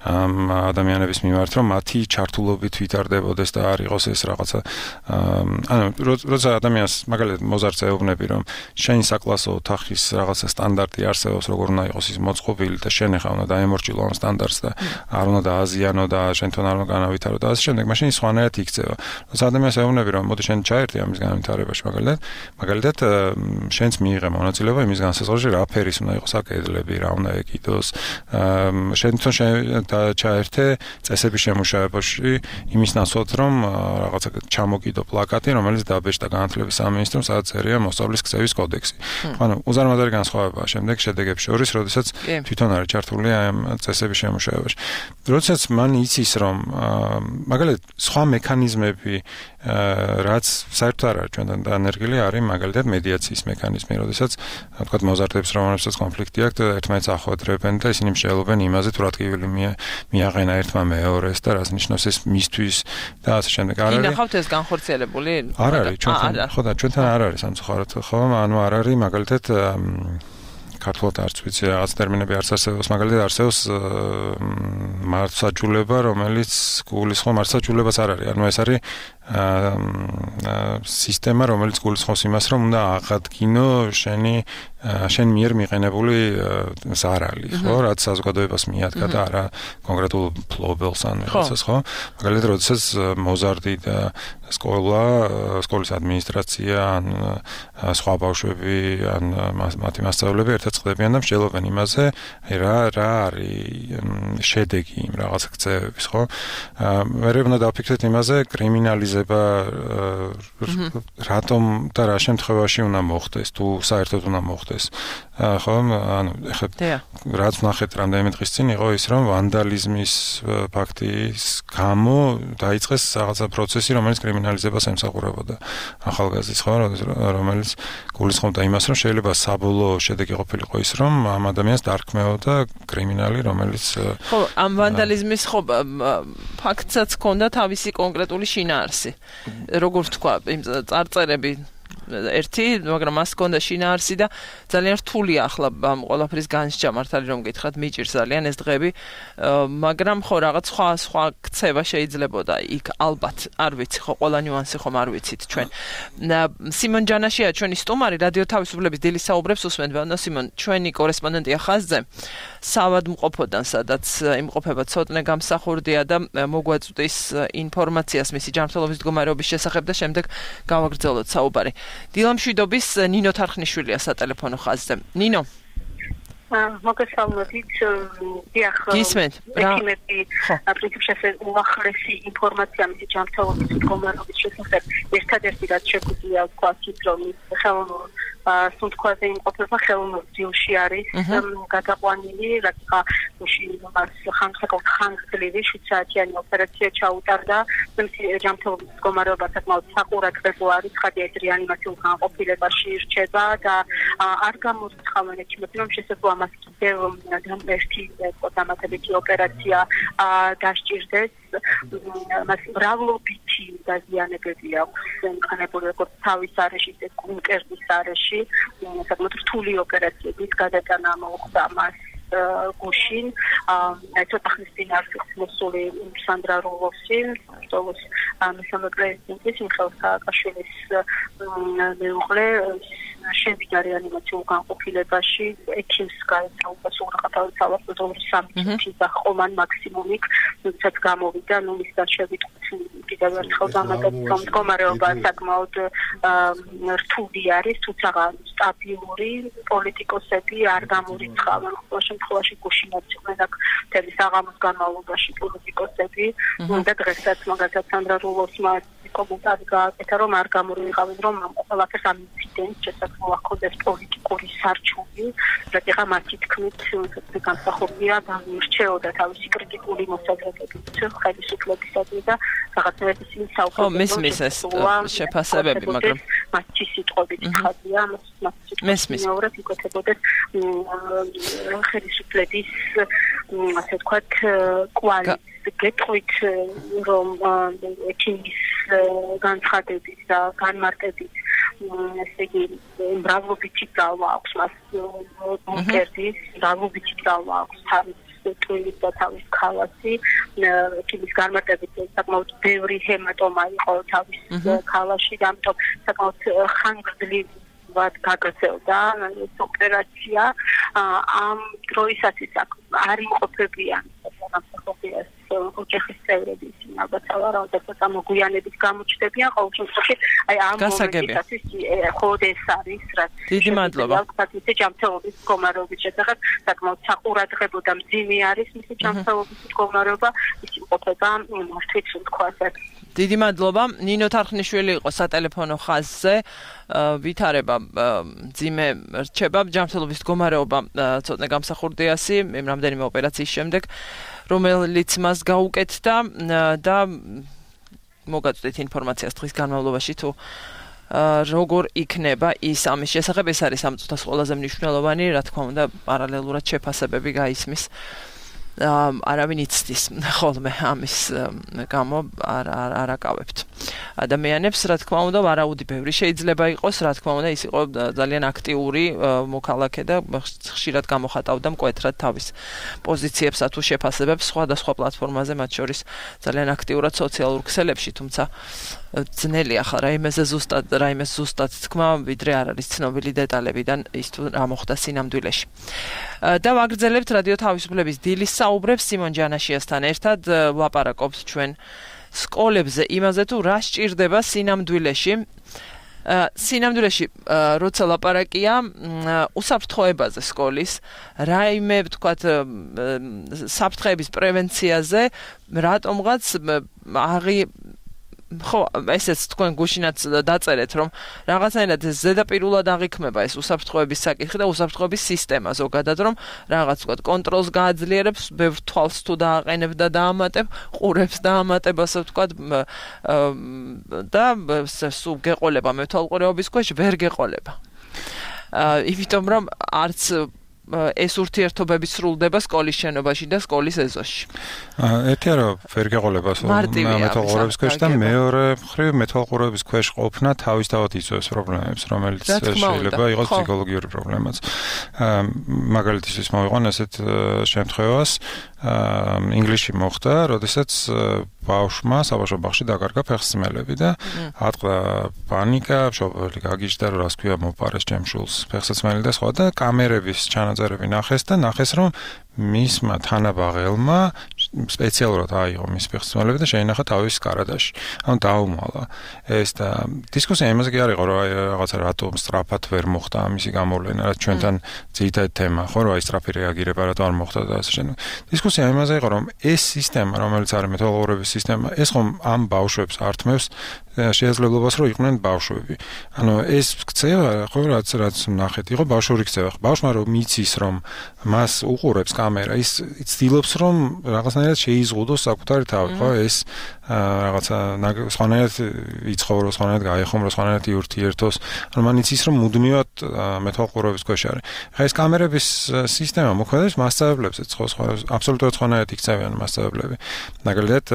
ადამიანების მიმართ, რომ მათი ჩართულობით ვითარდებოდეს და არ იყოს ეს რაღაცა ანუ როცა ადამიანს მაგალითად მოზარდს ეუბნები რომ შენი საკლასო ოთახის რაღაცა სტანდარტი არსებობს როგორ უნდა იყოს ის მოწყობილი და შენ ახლა უნდა დაემორჩილო ამ სტანდარტს და არ უნდა დააზიანო და შენთან არ უნდა განავითარო და ასე შემდეგ მაშინ სხვანაირად იქცევა როცა ადამიანს ეუბნები რომ მოდი შენ ჩაერთე ამის განვითარებაში მაგალითად შენც მიიღე მონაწილეობა იმის განსაზღვრაში რა ფერის უნდა იყოს აკედლები რა უნდა ეკიდოს შენ ჩაერთე წესების შემუშავებაში იმის ნაცვლად რომ რაღაცა ჩამოკიდო პლაკატი რომელიც დაბეჭდა განათლების სამინისტრომ სადაც წერია მოსწავლის ქცევის კოდექსი. ანუ უზარმაზარი განსხვავებაა შემდეგ შედეგებს შორის, როდესაც თვითონ არის ჩართული ამ წესების შემუშავებაში. როდესაც მან იცის რომ მაგალითად სხვა მექანიზმები რაც საერთოდ არ არის ჩვენთან დანერგილი არის მაგალითად მედიაციის მექანიზმი, როდესაც თქვათ მოზარდებს რომელსაც კონფლიქტი აქვს ერთმანეთს ახვედრებენ და ისინი მსჯელობენ იმაზე თუ რა ტკივილი მიაღენა ერთმა მეორეს და რას ნიშნავს ეს მისთვის და ასე შემდეგ. არ არის. ინახავთ ეს განხორციელებული? არ არის ჩვენთან ხო და ჩვენთან არ არის სამწუხაროდ ხო ანუ არ არის მაგალითად ქართულად არც ვიცი რაღაც ტერმინები არც არსებობს მაგალითად არსებობს მართლმსაჯულება რომელიც გულისხმობს მართლმსაჯულებას არ არის ანუ ეს არის სისტემა რომელიც გულისხმობს იმას რომ უნდა აღადგინო შენ მიერ მიყენებული ზარალი ხო რაც საზოგადოებას მიადგა და არა კონკრეტულ ფლობელს ან რაღაცას ხო მაგალითად როდესაც მოზარდი და სკოლის ადმინისტრაცია ან სხვა ბავშვები ან მათი მასწავლებლები ერთად წყდებიან და მსჯელობენ იმაზე რა არის შედეგი იმ რაღაც ქცევების ხო მე უნდა დავფიქრდეთ იმაზე კრიმინალიზება რატომ და რა შემთხვევაში უნდა მოხდეს თუ საერთოდ უნდა მოხდეს ხო ანუ ეხლა რაც ნახეთ რამდენიმე დღის წინ იყო ის რომ ვანდალიზმის ფაქტის გამო დაიწყეს რაღაცა პროცესი რომელიც კრიმინალიზებას ემსახურებოდა ახალგაზრდის ხო რომელიც გულისხმობდა იმას რომ შეიძლება საბოლოო შედეგი ყოფილიყო ის რომ ამ ადამიანს დარქმეოდა კრიმინალი რომელიც ხო ამ ვანდალიზმის ხო ფაქტსაც ჰქონდა თავისი კონკრეტული შინაარსი როგორ თქვა იმ წარწერები ერთი, მაგრამ მას ჰქონდა შინაარსი და ძალიან რთულია ახლა ამ ყველაფრის განსჯა მართალი რომ გითხრათ მიჭირს ძალიან ეს დღეები, მაგრამ ხო რაღაც სხვა ქცევა შეიძლებოდა იქ ალბათ, არ ვიცი ხო ყველა ნიუანსი ხომ არ ვიცით ჩვენ. სიმონ ჯანაშია ჩვენი სტუმარი რადიო თავისუფლების დილის საუბრებს უსმენთ და სიმონ ჩვენი კორესპონდენტია ხაზზე სავადმყოფოდან სადაც იმყოფება ცოტნე გამსახურდია და მოგვაწვდის ინფორმაციას მისი ჯანმრთელობის მდგომარეობის შესახებ და შემდეგ გავაგრძელოთ საუბარი. დილამშვიდობის ნინო თარხნიშვილია სატელეფონო ხაზზე. ნინო. მოგესალმებით. დიახ, ექიმები პრინციპში უახლესი ინფორმაცია მისი ჯანმრთელობის მდგომარეობის შესახებ ერთადერთი რაც შეგვიძლია ვთქვათ, რომ ხელოვნურ სუნთქვაზე იმყოფება ხელოვნურ ძილში არის გადაყვანილი, რადგან მას ხანგრძლივი 7 საათიანი ოპერაცია ჩაუტარდა, მისი ჯანმრთელობის მდგომარეობა საკმაოდ საყურადღებო არის, ხადია რეანიმაციულ განყოფილებაში რჩება და არ გამორიცხავენ ექიმები, რომ შესაძლოა მას კიდევ ერთი დამატებითი ოპერაცია დასჭირდეს. მას მრავლობითი დაზიანებები აქვს მქონებული როგორც თავის არეში, ისე კუნკერდის არეში, საკმაოდ რთული ოპერაციების გადატანა მოხდა მას გუშინ. ცოტა ხნის წინ არის მოსული სანდრა როლოსი, როლოს მესამე პრეზიდენტის მიხეილ სააკაშვილის მეუღლე შევიდა რეანიმაციულ განყოფილებაში, ექიმს გაეცა უპასუხა თავისთავად 3 წუთი და ხომან მაქსიმუმით, როდესაც გამოვიდა, მის დაშევით კიდევ ერთხელ დამატებით, რომ მდგომარეობა საკმაოდ რთული არის, თუმცა სტაბილური, პოლიტიკოსები არ გამორიცხავენ, ყოველ შემთხვევაში გუშინაც იყვნენ აქ მთელი საღამოს განმავლობაში პოლიტიკოსები და დღესაც მაგალითად სანდრა რულოსმა კომენტარი გააკეთა, რომ არ გამორიცხავენ, რომ ყველაფერს ამ ინციდენტს შესაძლოა ჰქონდეს პოლიტიკური სარჩული, რადგან მათი თქმით განსახორია განირჩეოდა თავისი კრიტიკული მოსაზრებებით ხელისუფლებისადმი და რაღაცნაირად ისინი საუბრობენ შეფასებები, მაგრამ მათი სიტყვებით ხაზია, მათი მეორე იქოთებოდეს ხელისუფლების ასე ვთქვათ კვალი გეტყვით რომ ექიმის განცხადებით და განმარტებით ესე იგი მრავლობითი ძალა აქვს მას კონკრეტის მრავლობითი ძალა აქვს თავის ტვინის და თავის ქალასი ექიმის განმარტებით საკმაოდ ბევრი ჰემატომა იყო თავის ქალაში და ამიტომ საკმაოდ ხანგრძლივი გაგრძელდა ოპერაცია ამ დროისათვის არ იმყოფებიან სამსახურს ოჯახის წევრები ისინი ალბათ სავარაუდოდ მოგვიანებით გამოჩნდებიან ყოველ შემთხვევაში აი ამ მომენტისათვის ხოდ ეს არის რაც დიდი მადლობა საკუთარი ჯანმრთელობის მდგომარეობის შესახებ საკმაოდ საყურადღებო და მძიმე არის მისი ჯანმრთელობის მდგომარეობა ის იმყოფება მართვით სუნთქვაზე დიდი მადლობა ნინო თარხნიშვილი იყო სატელეფონო ხაზზე ვითარება ძიმე რჩება ჯანმრთელობის მდგომარეობა ცოტნე გამსახურდიასი რამდენიმე ოპერაციის შემდეგ რომელიც მას გაუკეთდა და მოგაწვდით ინფორმაციას დღის განმავლობაში თუ როგორ იქნება ის ამის შესახებ ეს არის ამ წუთას ყველაზე მნიშვნელოვანი რა თქმა უნდა პარალელურად შეფასებები გაისმის არავინ იცდის ხოლმე ამის გამო არ აკავებთ ადამიანებს რა თქმა უნდა ვარაუდი ბევრი შეიძლება იყოს რა თქმა უნდა ის იყო ძალიან აქტიური მოქალაქე და ხშირად გამოხატავდა მკვეთრად თავის პოზიციებსა თუ შეფასებებს სხვადასხვა პლატფორმაზე მათ შორის ძალიან აქტიურად სოციალურ ქსელებში თუმცა ძნელია ხა რაიმეზე ზუსტად თქმა ვიდრე არ არის ცნობილი დეტალებიდან ის თუ რა მოხდა სინამდვილეში და ვაგრძელებთ რადიო თავისუფლების დილის საუბრებს სიმონ ჯანაშიასთან ერთად ვლაპარაკობთ ჩვენ სკოლებზე იმაზე თუ რა სჭირდება სინამდვილეში როცა ლაპარაკია უსაფრთხოებაზე სკოლის რაიმე ვთქვათ საფრთხეების პრევენციაზე რატომღაც ხო ესეც თქვენ გუშინაც დაწერეთ რომ რაღაცნაირად ზედაპირულად აღიქმება ეს უსაფრთხოების საკითხი და უსაფრთხოების სისტემა ზოგადად რომ რაღაც ვთქვათ კონტროლს გააძლიერებს ბევრ თვალს თუ დააყენებ და დაამატებ ყურებს დაამატებ ასე ვთქვათ და სულ გეყოლება მეთვალყურეობის ქვეშ ვერ გეყოლება იმიტომ რომ არც ეს ურთიერთობები სრულდება სკოლის შენობაში და სკოლის ეზოში. ერთი არა ვერ გეყოლება მეთვალყურეობის ქვეშ და მეორე მხრივ მეთვალყურეობის ქვეშ ყოფნა თავისთავად იწვევს პრობლემებს, რომელიც შეიძლება იყოს ფსიქოლოგიური პრობლემაც. მაგალითისთვის მოვიყვან ესეთ შემთხვევას ინგლისში მოხდა, როდესაც ბავშვმა საბავშვო ბაღში დაკარგა ფეხსმელები და ატყდა პანიკა, მშობელი გაგიჟდა რომ რას ქვია მოპარეს ჩემ შულს ფეხსაცმელი და სხვა და კამერების ჩანაწერები ნახეს და ნახეს რომ მისმა თანაბაღელმა სპეციალურად აიღო მის ფეხსაცმელები და შეინახა თავის კარადაში. ანუ დაუმალა. ეს და დისკუსია იმაზე კი არ იყო, რომ რაღაცა რატომ სწრაფად ვერ მოხდა ამისი გამოვლენა, რაც ჩვენთან ძირითადი თემა, ხო, რომ აი სწრაფი რეაგირება რატომ არ მოხდა და ასე შემდეგ. დისკუსია იმაზე იყო, რომ ეს სისტემა, რომელიც არის მეთვალყურების სისტემა, ეს ხომ ამ ბავშვებს ართმევს შესაძლებლობას, რომ იყვნენ ბავშვები. ანუ ეს ქცევა, ხო, რაც ნახეთ, იყო ბავშვური ქცევა. ბავშვმა რომ მიცის, რომ მას უყურებს კამერა, ის ცდილობს, რომ რაღაცნაირად შეიზღუდოს საკუთარი თავი, ხო, ეს რაღაცა სხვანაირად იცხოვროს, სხვანაირად გაეხმაროს, სხვანაირად იურთიერთოს. ანუ მან იცის, რომ მუდმივად მეთვალყურების ქვეშ არის. ხა ეს კამერების სისტემა მოქმედებს მასშტაბებზე, აბსოლუტურად სხვანაირად იქცევიან მასშტაბები. მაგალითად,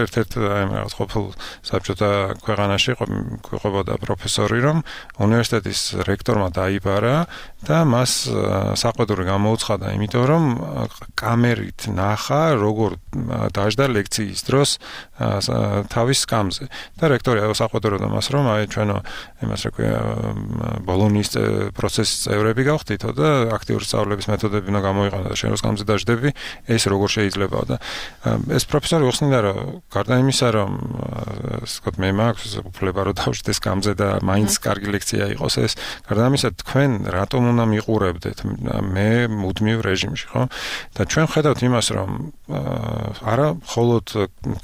ერთ-ერთ რაღაც ყოფილ საბჭოთა ქვეყანაში ყვებოდა პროფესორი, რომ უნივერსიტეტის რექტორმა დაიბარა და მას საყვედური გამოუცხადა, იმიტომ რომ კამერით ნახა, როგორ დაждდა ლექციის დროს თავის სკამზე. და რექტორი საყვედურობდა მას, რომ აი ჩვენო იმას რა ქვია ბოლონიის პროცესის წევრები გავხდითო და აქტიური სწავლების მეთოდები უნდა გამოიყენო და შენ რო სკამზე დაждები, ეს როგორ შეიძლება და ეს პროფესორი უხსნიდა, რომ გარდა იმისა, რომ ვთქვათ, მე მაქვს უფლება რომ დავждე სკამზე და მაინც კარგი ლექცია იყოს ეს, გარდა ამისა თქვენ რატომ უნდა მიყურებდეთ მე მუდმივ რეჟიმში, ხო? და ჩვენ ხედავთ იმას, რომ არა მხოლოდ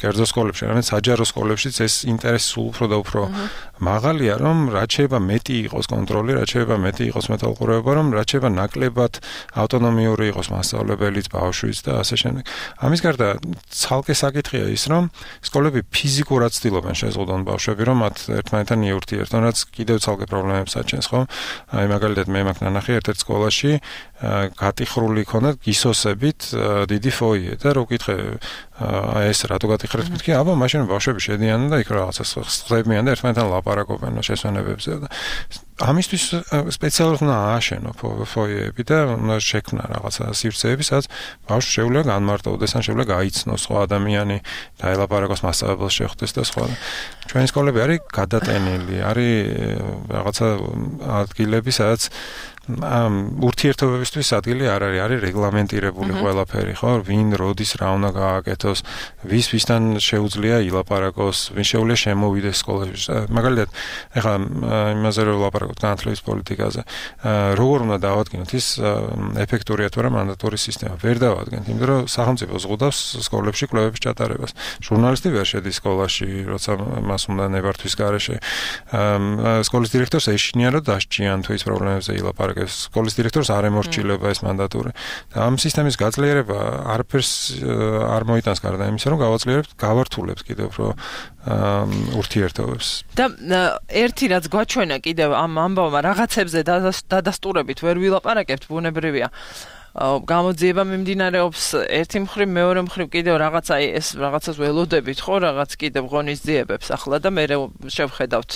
კერძო სკოლებში, არამედ საჯარო სკოლებშიც ეს ინტერესი სულ უფრო და უფრო მაღალია, რომ რაც შეიძლება მეტი იყოს კონტროლი, რაც შეიძლება მეტი იყოს მეთვალყურეობა, რომ რაც შეიძლება ნაკლებად ავტონომიური იყოს მასწავლებელიც, ბავშვიც და ასე შემდეგ. ამის გარდა ცალკე საკითხია ის, რომ სკოლები ფიზიკურად ცდილობენ შეზღუდონ ბავშვები, რომ მათ ერთმანეთთან იურთიერთონ, რაც კიდევ ცალკე პრობლემებს აჩენს, ხო? აი მაგალითად მე მაქვს ნანახი ერთ-ერთ სკოლაში გატიხრული ქონდა გისოსებით დიდი ფოიე და რო ვკითხე ეს რატო გატიხრეთ, მეთქი, აბა მაშინ ბავშვები შედიან და იქ რაღაცა ხდებიან და ერთმანეთთან ლაპარაკობენ შესვენებებზე და ამისთვის სპეციალურად უნდა ააშენო ფოიეები და უნდა შექმნა რაღაცა სივრცეები, სადაც ბავშვს შეუძლია განმარტოვდეს, ან შეუძლია გაიცნოს სხვა ადამიანი და ელაპარაკოს მასწავლებელს შეხვდეს და სხვა. ჩვენი სკოლები არის გადატენილი, არის რაღაცა ადგილები, სადაც ურთიერთობებისთვის ადგილი არ არის, არის რეგლამენტირებული ყველაფერი, ხო? ვინ როდის რა უნდა გააკეთოს, ვისთან შეუძლია ილაპარაკოს, ვინ შეუძლია შემოვიდეს სკოლაში. მაგალითად, ეხლა იმაზე რომ ვლაპარაკოთ განათლების პოლიტიკაზე, როგორ უნდა დავადგინოთ ის ეფექტურია თუ არა მანდატური სისტემა. ვერ დავადგენთ, იმიტომ რომ სახელმწიფო ზღუდავს სკოლებში კვლევების ჩატარებას. ჟურნალისტი ვერ შედის სკოლაში, როცა მას უნდა ნებართვის გარეშე. სკოლის დირექტორს ეშინია რომ დასჭიან თუ ის პრობლემებზე ილაპარაკოს. სკოლის დირექტორს არ ემორჩილება ეს მანდატური. და ამ სისტემის გაძლიერება არაფერს არ მოიტანს გარდა იმისა, რომ გავართულებს კიდევ უფრო ურთიერთობებს. და ერთი რაც გვაჩვენა კიდევ ამ ამბავმა რაღაცებზე დადასტურებით ვერ ვილაპარაკებთ, ბუნებრივია. გამოძიება მიმდინარეობს ერთი მხრივ, მეორე მხრივ კიდევ რაღაცა ეს რაღაცას ველოდებით, ხო, რაღაც კიდევ ღონისძიებებს ახლა და მე შევხედავთ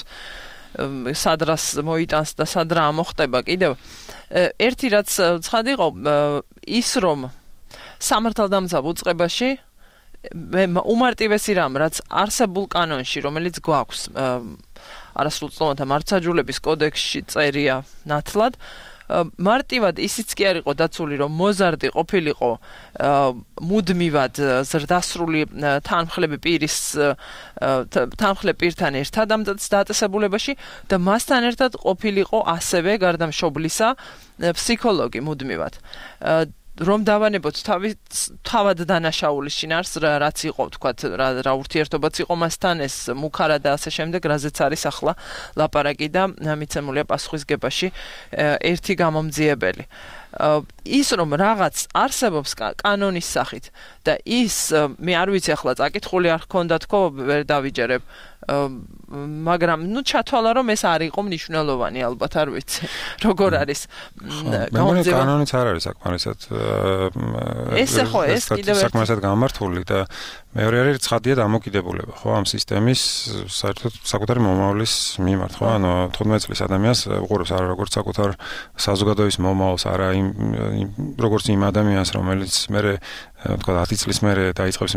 სადრას მოიტანს და სადრა ამოხტება კიდევ. ერთი რაც ცხად იყო ის, რომ სამართალდამცავ უწყებაში უმარტივესი რამ, რაც არსებულ კანონში, რომელიც გვაქვს არასრულწლოვანთა მართლმსაჯულების კოდექსში წერია ნათლად, მარტივად ისიც კი არ იყო დაცული, რომ მოზარდი ყოფილიყო მუდმივად ზრდასრული თანმხლები პირთან ერთად ამ დაწესებულებაში და მასთან ერთად ყოფილიყო ასევე გარდა მშობლისა ფსიქოლოგი მუდმივად. რომ დავანებოთ თავად დანაშაულის შინაარსს, რაც იყო, თქვათ, რა ურთიერთობაც იყო მასთან, ეს მუქარა და ასე შემდეგ, რაზეც არის ახლა ლაპარაკი და მიცემულია პასუხისგებაში ერთი გამომძიებელი. ის რომ რაღაც არსებობს კანონის სახით და ის მე არ ვიცი ახლა წაკითხული არ ჰქონდა თქო, ვერ დავიჯერებ, მაგრამ ჩათვალა რომ ეს არ იყო მნიშვნელოვანი, ალბათ არ ვიცი როგორ არის გამომძიება. კანონიც არ არის საკმარისად ეს კიდევ საკმარისად გამართული და მეორე არის ცხადია დამოკიდებულება, ხო, ამ სისტემის საერთოდ საკუთარი მომავლის მიმართ, ხო, ანუ 15 წლის ადამიანს უყურებს არა როგორც საკუთარ საზოგადოების მომავალს, არა როგორც იმ ადამიანს, რომელიც მე თქვა 10 წლის მერე დაიწყებს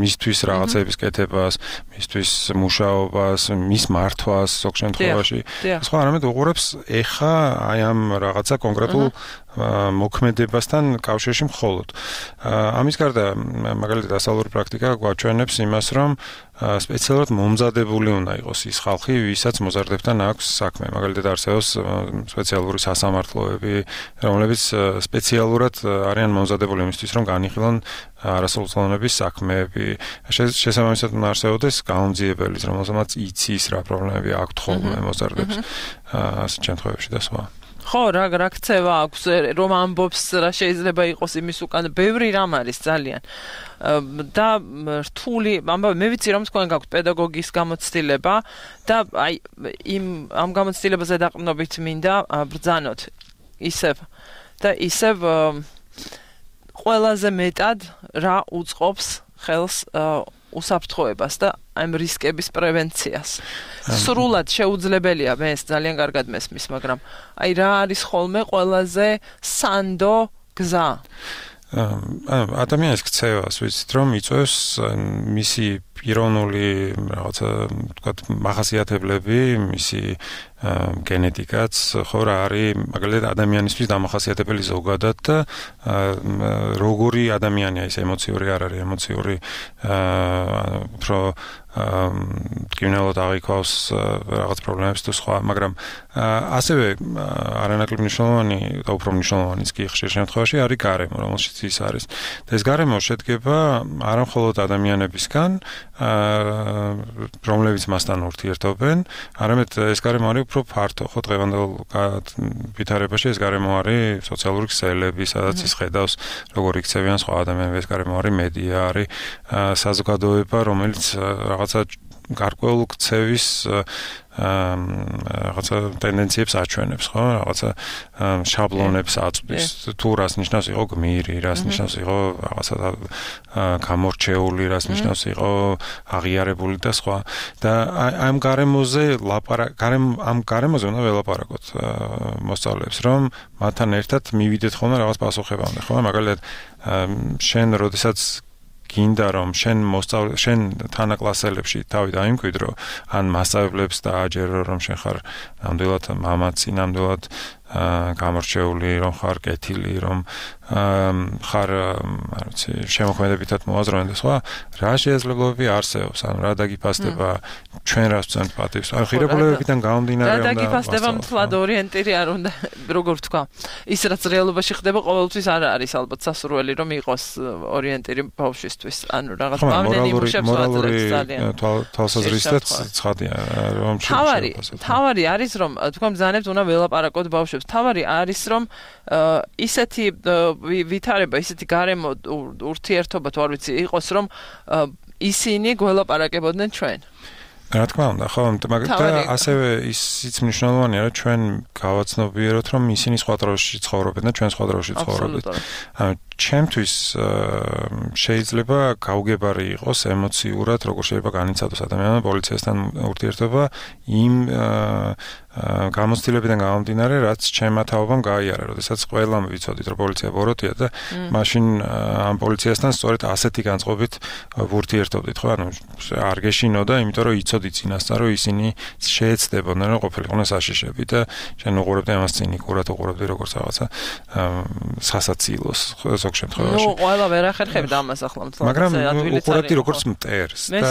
მისთვის რაღაცების კეთებას, მისთვის მუშაობას, მის მართვას ზოგ შემთხვევაში. სხვა არამედ უყურებს ეხა აი ამ რაღაცა კონკრეტულ მოქმედებასთან კავშირში მხოლოდ. ამის გარდა მაგალითად დასავლური პრაქტიკა გვაჩვენებს იმას, რომ სპეციალურად მომზადებული უნდა იყოს ის ხალხი, ვისაც მოზარდებთან აქვს საქმე. მაგალითად არსებობს სპეციალური სასამართლოები, რომლებიც სპეციალურად არიან მომზადებული იმისთვის, რომ განიხილონ არასრულწლოვნების საქმეები. შესაბამისად უნდა არსებობდეს გაუმძიებელიც, რომელსაც იცის რა პრობლემები აქვთ ხოლმე მოზარდებს ასეთ შემთხვევებში და სხვა. ხო, რა ქცევა აქვს, რომ ამბობს რა შეიძლება იყოს იმის უკან, ბევრი რამ არის ძალიან. და რთული, ამბავი, მე ვიცი რომ თქვენ გაქვთ პედაგოგის გამოცდილება და აი ამ გამოცდილებაზე დაყრდნობით მინდა ბრძანოთ ისევ ყველაზე მეტად რა უწყობს ხელს უსაფრთხოებას და ამ რისკების პრევენციას. სრულად შეუძლებელია, მე ეს ძალიან კარგად მესმის, მაგრამ აი რა არის ხოლმე ყველაზე სანდო გზა? ადამიანის ქცევას ვიცით რომ იწვევს მისი პიროვნული რაღაცა თქვა მახასიათებლები, მისი გენეტიკაც, ხო რა არის მაგალითად ადამიანისთვის დამახასიათებელი ზოგადად და როგორი ადამიანია ის ემოციური არ არის ემოციური უფრო კინელოდ აღიქვავს რაღაც პრობლემებს თუ სხვა, მაგრამ ასევე არანაკლებ მნიშვნელოვანი და უფრო მნიშვნელოვანიც კი ხშირ შემთხვევაში არის გარემო, რომელშიც ის არის. და ეს გარემო შედგება არა მხოლოდ ადამიანებისგან, რომლებიც მასთან ურთიერთობენ, არამედ ეს გარემო არის უფრო ფართო, ხო დღევანდელ ვითარებაში ეს გარემო არის სოციალური ქსელები, სადაც ის ხედავს როგორ იქცევიან სხვა ადამიანები, ეს გარემო არის მედია, არის საზოგადოება, რომელიც რაღაცა გარკვეულ ქცევის რაღაცა ტენდენციებს აჩვენებს, ხო? რაღაცა შაბლონებს აწვდის. თუ რას ნიშნავს იყო გმირი, რას ნიშნავს იყო რაღაცა გამორჩეული, რას ნიშნავს იყო აღიარებული და სხვა. და ამ გარემოზე ამ გარემოზე უნდა ველაპარაკოთ მოსწავლეებს, რომ მათთან ერთად მივიდეთ ხოლმე რაღაც პასუხებამდე, ხო? მაგალითად შენ როდესაც გინდა რომ შენ თანაკლასელებში თავი დაიმკვიდრო, ან მასწავლებლებს დააჯერო რომ შენ ხარ ნამდვილად მამაცი, ნამდვილად გამორჩეული, რომ ხარ კეთილი, რომ ხარ, არ ვიცი, შემოქმედებითად მოაზროვნე და სხვა, რა შესაძლებლობები არსებობს, ანუ რა დაგიფასდება ჩვენ რას ვცემთ პატივს. ანუ ღირებულებებიდან გამომდინარე რა დაგიფასდება მთლად ორიენტირი არ უნდა, როგორ ვთქვა. ის რაც რეალობაში ხდება, ყოველთვის არ არის ალბათ სასურველი რომ იყოს ორიენტირი ბავშვისთვის. ანუ რაღაც პავლენი მუშებს ვაძლევს ძალიან. თვალსაზრისითაც ცხადია, რომ თავარი არის რომ თქვენ ბრძანებთ უნდა ველაპარაკოთ ბავშვებს. თავარი არის რომ ისეთი ვითარება, ისეთი გარემო ურთიერთობა თუ არ ვიცი იყოს რომ ისინი გველაპარაკებოდნენ ჩვენ. რა თქმა უნდა, ხო, მაგრამ ასევე ისიც მნიშვნელოვანია, რომ ჩვენ გავაცნობიეროთ, რომ ისინი სხვა დროში ცხოვრობენ და ჩვენ სხვა დროში ცხოვრობთ. ანუ ჩემთვის შეიძლება გაუგებარი იყოს ემოციურად, როგორ შეიძლება განიცადოს ადამიანმა პოლიციასთან ურთიერთობა იმ გამოცდილებიდან გამომდინარე, რაც ჩემმა თაობამ გაიარა, როდესაც ყველამ ვიცოდით, რომ პოლიცია ბოროტია და მაშინ ამ პოლიციასთან სწორედ ასეთი განწყობით ვურთიერთობდით, ხო? ანუ არ გეშინოდა, იმიტომ რომ იცოდით წინასწარ, რომ ისინი შეეცდებოდნენ, რომ ყოფილიყვნენ საშიშები და შენ უყურებდი ამას ცინიკურად, უყურებდი როგორც რაღაცა სასაცილოს ზოგ შემთხვევაში. ნუ ყველა ვერ ახერხებდა ამას ახლა მთლად. მაგრამ უყურებდი როგორც მტერს და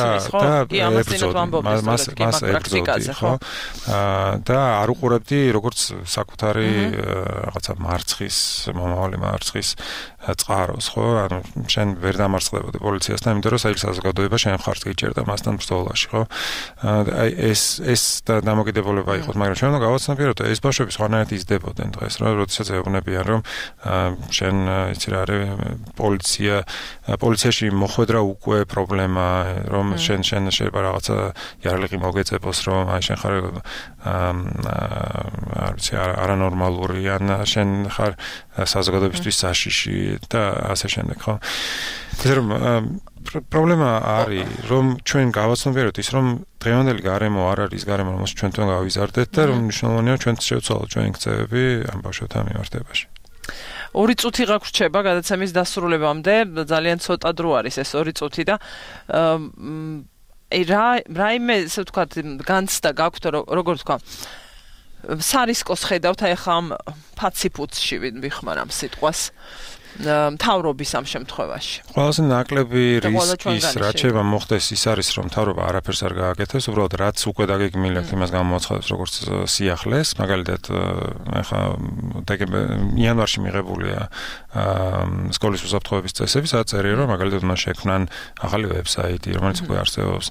მას ებრძოდი, ხო? და არ უყურებდი როგორც საკუთარი რაღაცა მარცხის, მომავალი მარცხის წყაროს, ხო? ანუ შენ ვერ დამარცხდებოდი პოლიციასთან, იმიტომ რომ საერთო საზოგადოება შენ მხარს გიჭერდა მასთან ბრძოლაში, ხო? აი ეს დამოკიდებულება იყო, მაგრამ ჩვენ უნდა გავაცნობიეროთ, ეს ბავშვები სხვანაირად იზრდებოდნენ დღეს, როდესაც ეუბნებიან, რომ შენ იცი რა არის პოლიციაში მოხვედრა უკვე პრობლემა, რომ შენ შეიძლება რაღაცა იარაღი მოგეწებოს, რომ აი შენ ხარ არ ვიცი არანორმალური, ან შენ ხარ საზოგადოებისთვის საშიში და ასე შემდეგ, ხო? ეს რომ პრობლემა არის, რომ ჩვენ გავაცნობიეროთ ის, რომ დღევანდელი გარემო არ არის გარემო, რომელსაც ჩვენ თვითონ გავიზარდეთ და რომ მნიშვნელოვანია ჩვენ შევცვალოთ ჩვენი ქცევები ამ ბავშვებთან მიმართებაში. 2 წუთი გაგვრჩება გადაცემის დასრულებამდე, ძალიან ცოტა დრო არის ეს 2 წუთი და რაიმე ესე ვთქვათ განცდა გაქვთ როგორ ვთქვა სარისკოს ხედავთ აი ხა ამ ფაციფუცში ვიხმარ ამ სიტყვას მთავრობის ამ შემთხვევაში. ყველაზე ნაკლები რისკის რაც შეიძლება მოხდეს ის არის რომ მთავრობა არაფერს არ გააკეთებს, უბრალოდ რაც უკვე დაგეგმილეთ იმას გამოაცხადებს როგორც სიახლეს, მაგალითად ახლა იანვარში მიღებულია სკოლის უსაფრთხოების წესები, სადაც წერია რომ მაგალითად მას შექმნან ახალი ვებსაიტი, რომელიც უკვე არსებობს,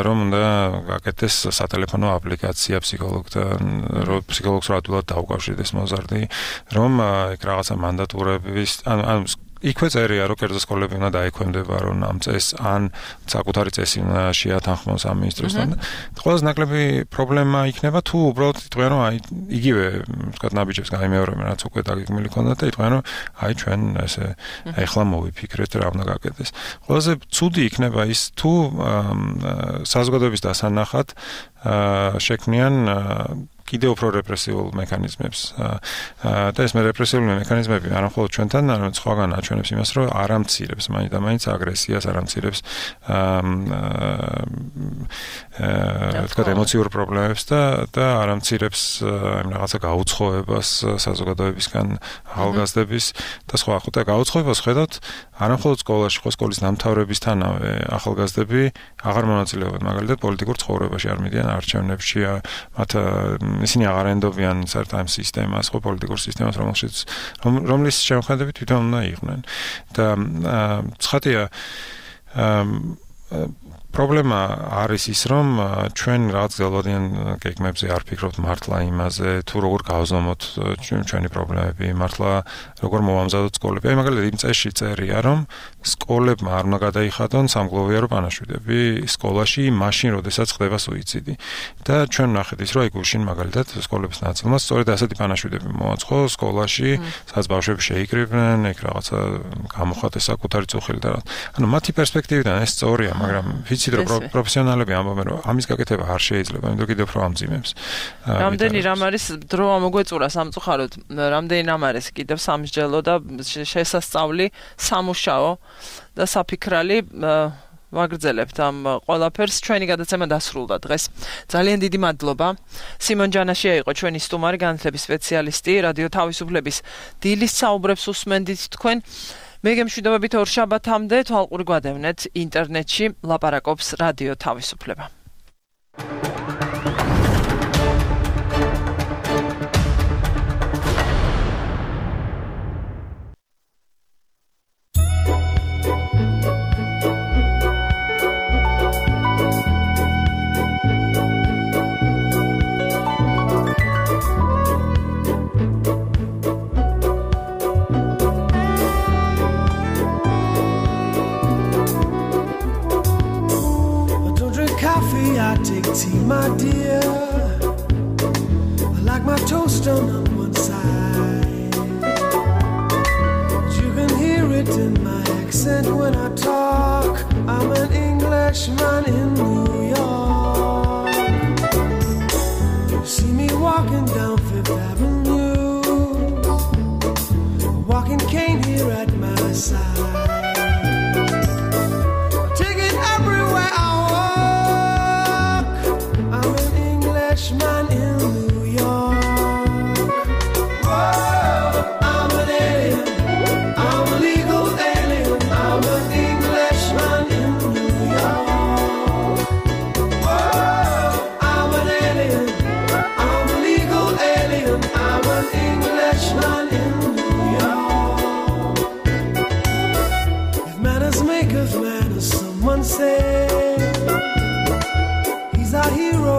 რომ უნდა გააკეთეს სატელეფონო აპლიკაცია ფსიქოლოგთან, რომ ფსიქოლოგს რატულად დაუკავშირდეს მოზარდი, რომ ეგ რაღაცა მანდატურების ანუ იქვე წერია რომ კერძო სკოლები უნდა დაექვემდებარონ ამ წესს ან საკუთარი წესი უნდა შეათანხმოს ამ მინისტროსთან. ყველაზე ნაკლები პრობლემა იქნება თუ უბრალოდ იტყვიან რომ აი იგივე ვთქვათ ნაბიჯებს გაიმეორებენ რაც უკვე დაგეგმილი ქონდათ და იტყვიან რომ აი ჩვენ ესე ეხლა მოვიფიქრეთ რა უნდა გაკეთდეს. ყველაზე ცუდი იქნება ის თუ საზოგადოების დასანახად შექმნიან კიდევ უფრო რეპრესიულ მექანიზმებს და ეს რეპრესიული მექანიზმები არა მხოლოდ ჩვენთან, არამედ სხვაგან აჩვენებს იმას, რომ არ ამცირებს მაინც და მაინც აგრესიას, არ ამცირებს თქვა ემოციურ პრობლემებს და არ ამცირებს იმ რაღაცა გაუცხოებას საზოგადოებისგან ახალგაზრდების და სხვა. ხუთა გაუცხოებას ხედავთ არა მხოლოდ სკოლაში, ხო სკოლის დამთავრებისთანავე ახალგაზრდები აღარ მონაწილეობენ მაგალითად პოლიტიკურ ცხოვრებაში, არ მიდიან არჩევნებში, მათ ისინი აღარ ენდობიან საერთოდ ამ სისტემას, ხო პოლიტიკურ სისტემას, რომლის შემოქმედებით თვითონ უნდა იყვნენ. და ცხადია პრობლემა არის ის, რომ ჩვენ რაღაც გელოდიან გეგმებზე არ ფიქრობთ მართლა იმაზე, თუ როგორ გავზომოთ ჩვენი პრობლემები, მართლა როგორ მოვამზადოთ სკოლები. აი მაგალითად იმ წესში წერია, რომ სკოლებმა არ უნდა გადაიხადონ სამგლოვიარო პანაშვიდები სკოლაში, მაშინ, როდესაც ხდება სუიციდი. და ჩვენ ვნახეთ ის, რომ აი გუშინ მაგალითად სკოლების ნაწილმა სწორედ ასეთი პანაშვიდები მოაწყო სკოლაში, სადაც ბავშვები შეიკრიბნენ, ეგ რაღაცა გამოხატეს საკუთარი წუხილი და ანუ მათი პერსპექტივიდან ეს სწორია, მაგრამ ვიცით რომ პროფესიონალები ამბობენ რომ ამის გაკეთება არ შეიძლება, იმიტომ კიდევ უფრო ამძიმებს. რამდენი რამ არის დრო ამოგვეწურა სამწუხაროდ, რამდენი რამ არის კიდევ სამსჯელო და შესასწავლი, სამუშაო და საფიქრალი ვაგრძელებთ ამ ყველაფერს. ჩვენი გადაცემა დასრულდა დღეს. ძალიან დიდი მადლობა. სიმონ ჯანაშია იყო ჩვენი სტუმარი, განათლების სპეციალისტი, რადიო თავისუფლების დილის საუბრებს უსმენდით თქვენ. მე გემშვიდობებით ორშაბათამდე თვალყური გვადევნეთ ინტერნეტში ლაპარაკობს რადიო თავისუფლება. Tea, my dear, I like my toast on one side. You can hear it in my accent when I talk. I'm an Englishman in New York. You see me walking down Fifth Avenue, a walking cane here at my side. Man in New York. Whoa, I'm an alien. I'm a legal alien. I'm an Englishman in New York. Whoa, I'm an alien. I'm a legal alien. I'm an Englishman in New York. If manners maketh manners, someone say he's our hero.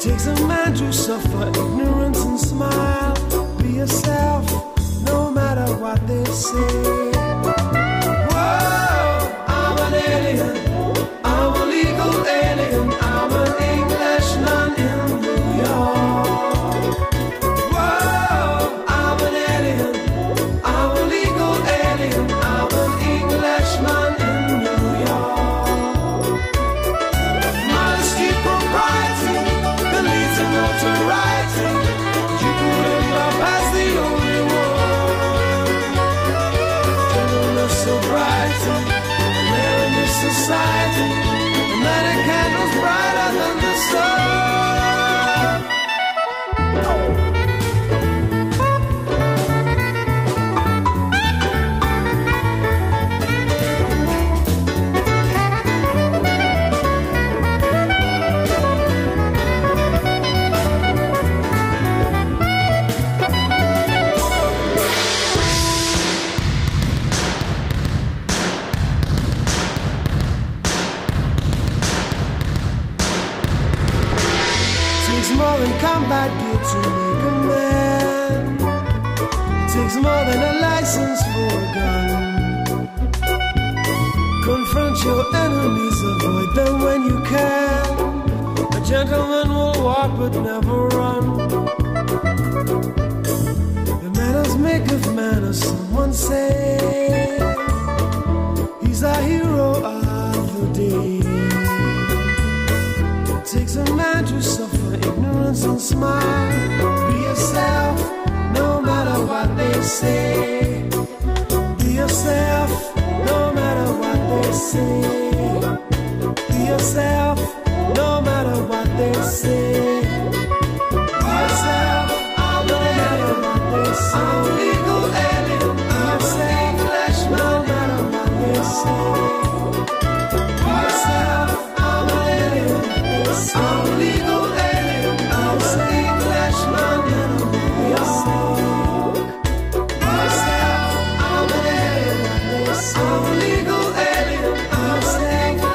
Takes a man to suffer ignorance and smile. Be yourself, no matter what they say. Whoa, I'm an alien. I'm a legal alien. I'm an Englishman in New York. Whoa, I'm an alien. I'm a legal alien. I'm an Englishman in New York. Modesty, propriety, notoriety. You to make a man. It takes more than a license for a gun. Confront your enemies, avoid them when you can. A gentleman will walk but never run. The manners make of manners, someone say. He's a hero of the day. It takes a man to suffer ignorance and smile. Be yourself, no matter what they say. Be yourself, no matter what they say. Be yourself, no matter what they say. Be yourself, no matter what they say. I'm a legal alien. I'm a safe flesh, no matter what they say. Be yourself, I'm an alien. I'm a legal alien. I'm a safe flesh, no matter what they say. Be yourself, I'm an alien. I'm a legal alien. I'm a safe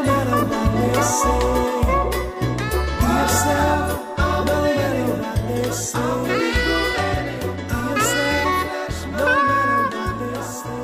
flesh, no matter what they say. Be yourself, I'm an alien. I'm a legal alien. I'm a safe flesh, no matter what they say.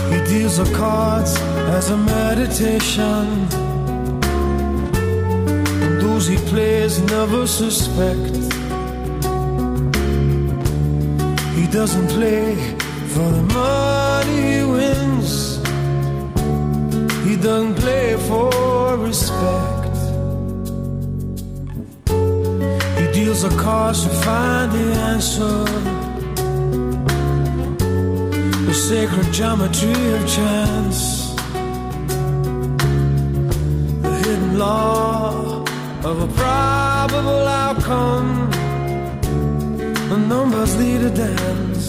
He deals the cards as a meditation, and those he plays never suspect. He doesn't play for the money he wins. He doesn't play for respect. He deals the cards to find the answer, the sacred geometry of chance, the hidden law of a probable outcome. The numbers lead a dance.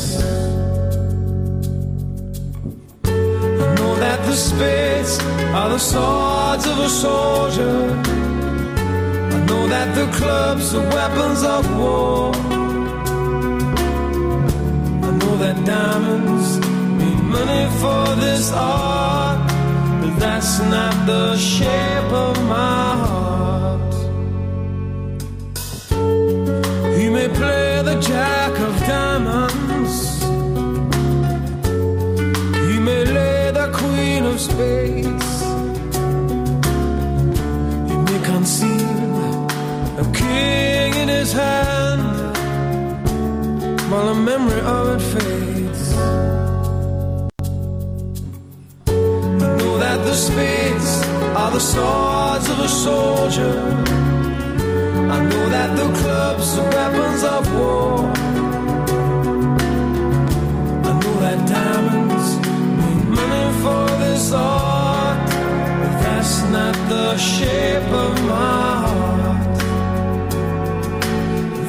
I know that the spades are the swords of a soldier. I know that the clubs are weapons of war. I know that diamonds mean money for this art, but that's not the shape of my heart. He may play the jack of diamonds, he may lay the queen of spades, he may conceal a king in his hand while the memory of it fades. I know that the spades are the swords of a soldier. I know that the clubs are weapons of war. I know that diamonds mean money for this art, but that's not the shape of my heart.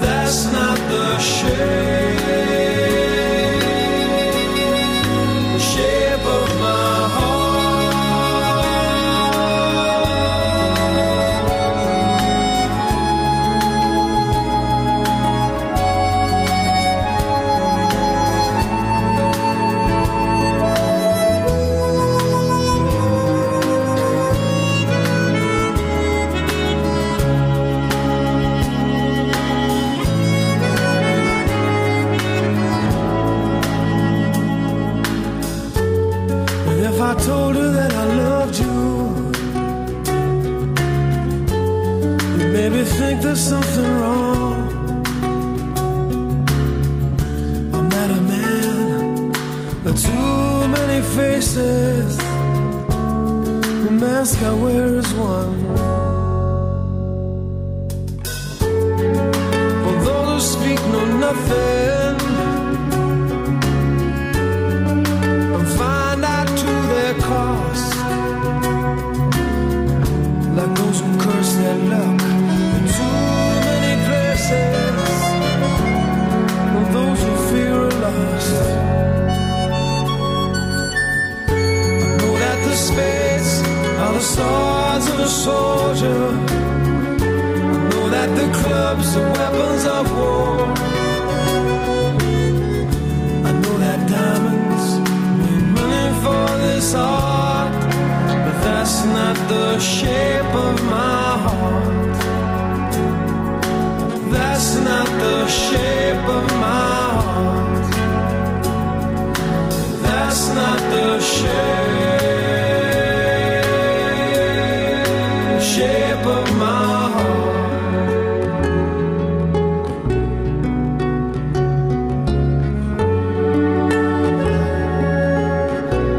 That's not the shape of my heart. I told her that I loved you, you made me think there's something wrong. I'm not a man, but too many faces. The mask I wear is one. For those who speak know nothing, I'm fine. swords of a soldier. I know that the clubs are weapons of war. I know that diamonds mean money for this art, but that's not the shape of my heart. That's not the shape of my heart. That's not the shape.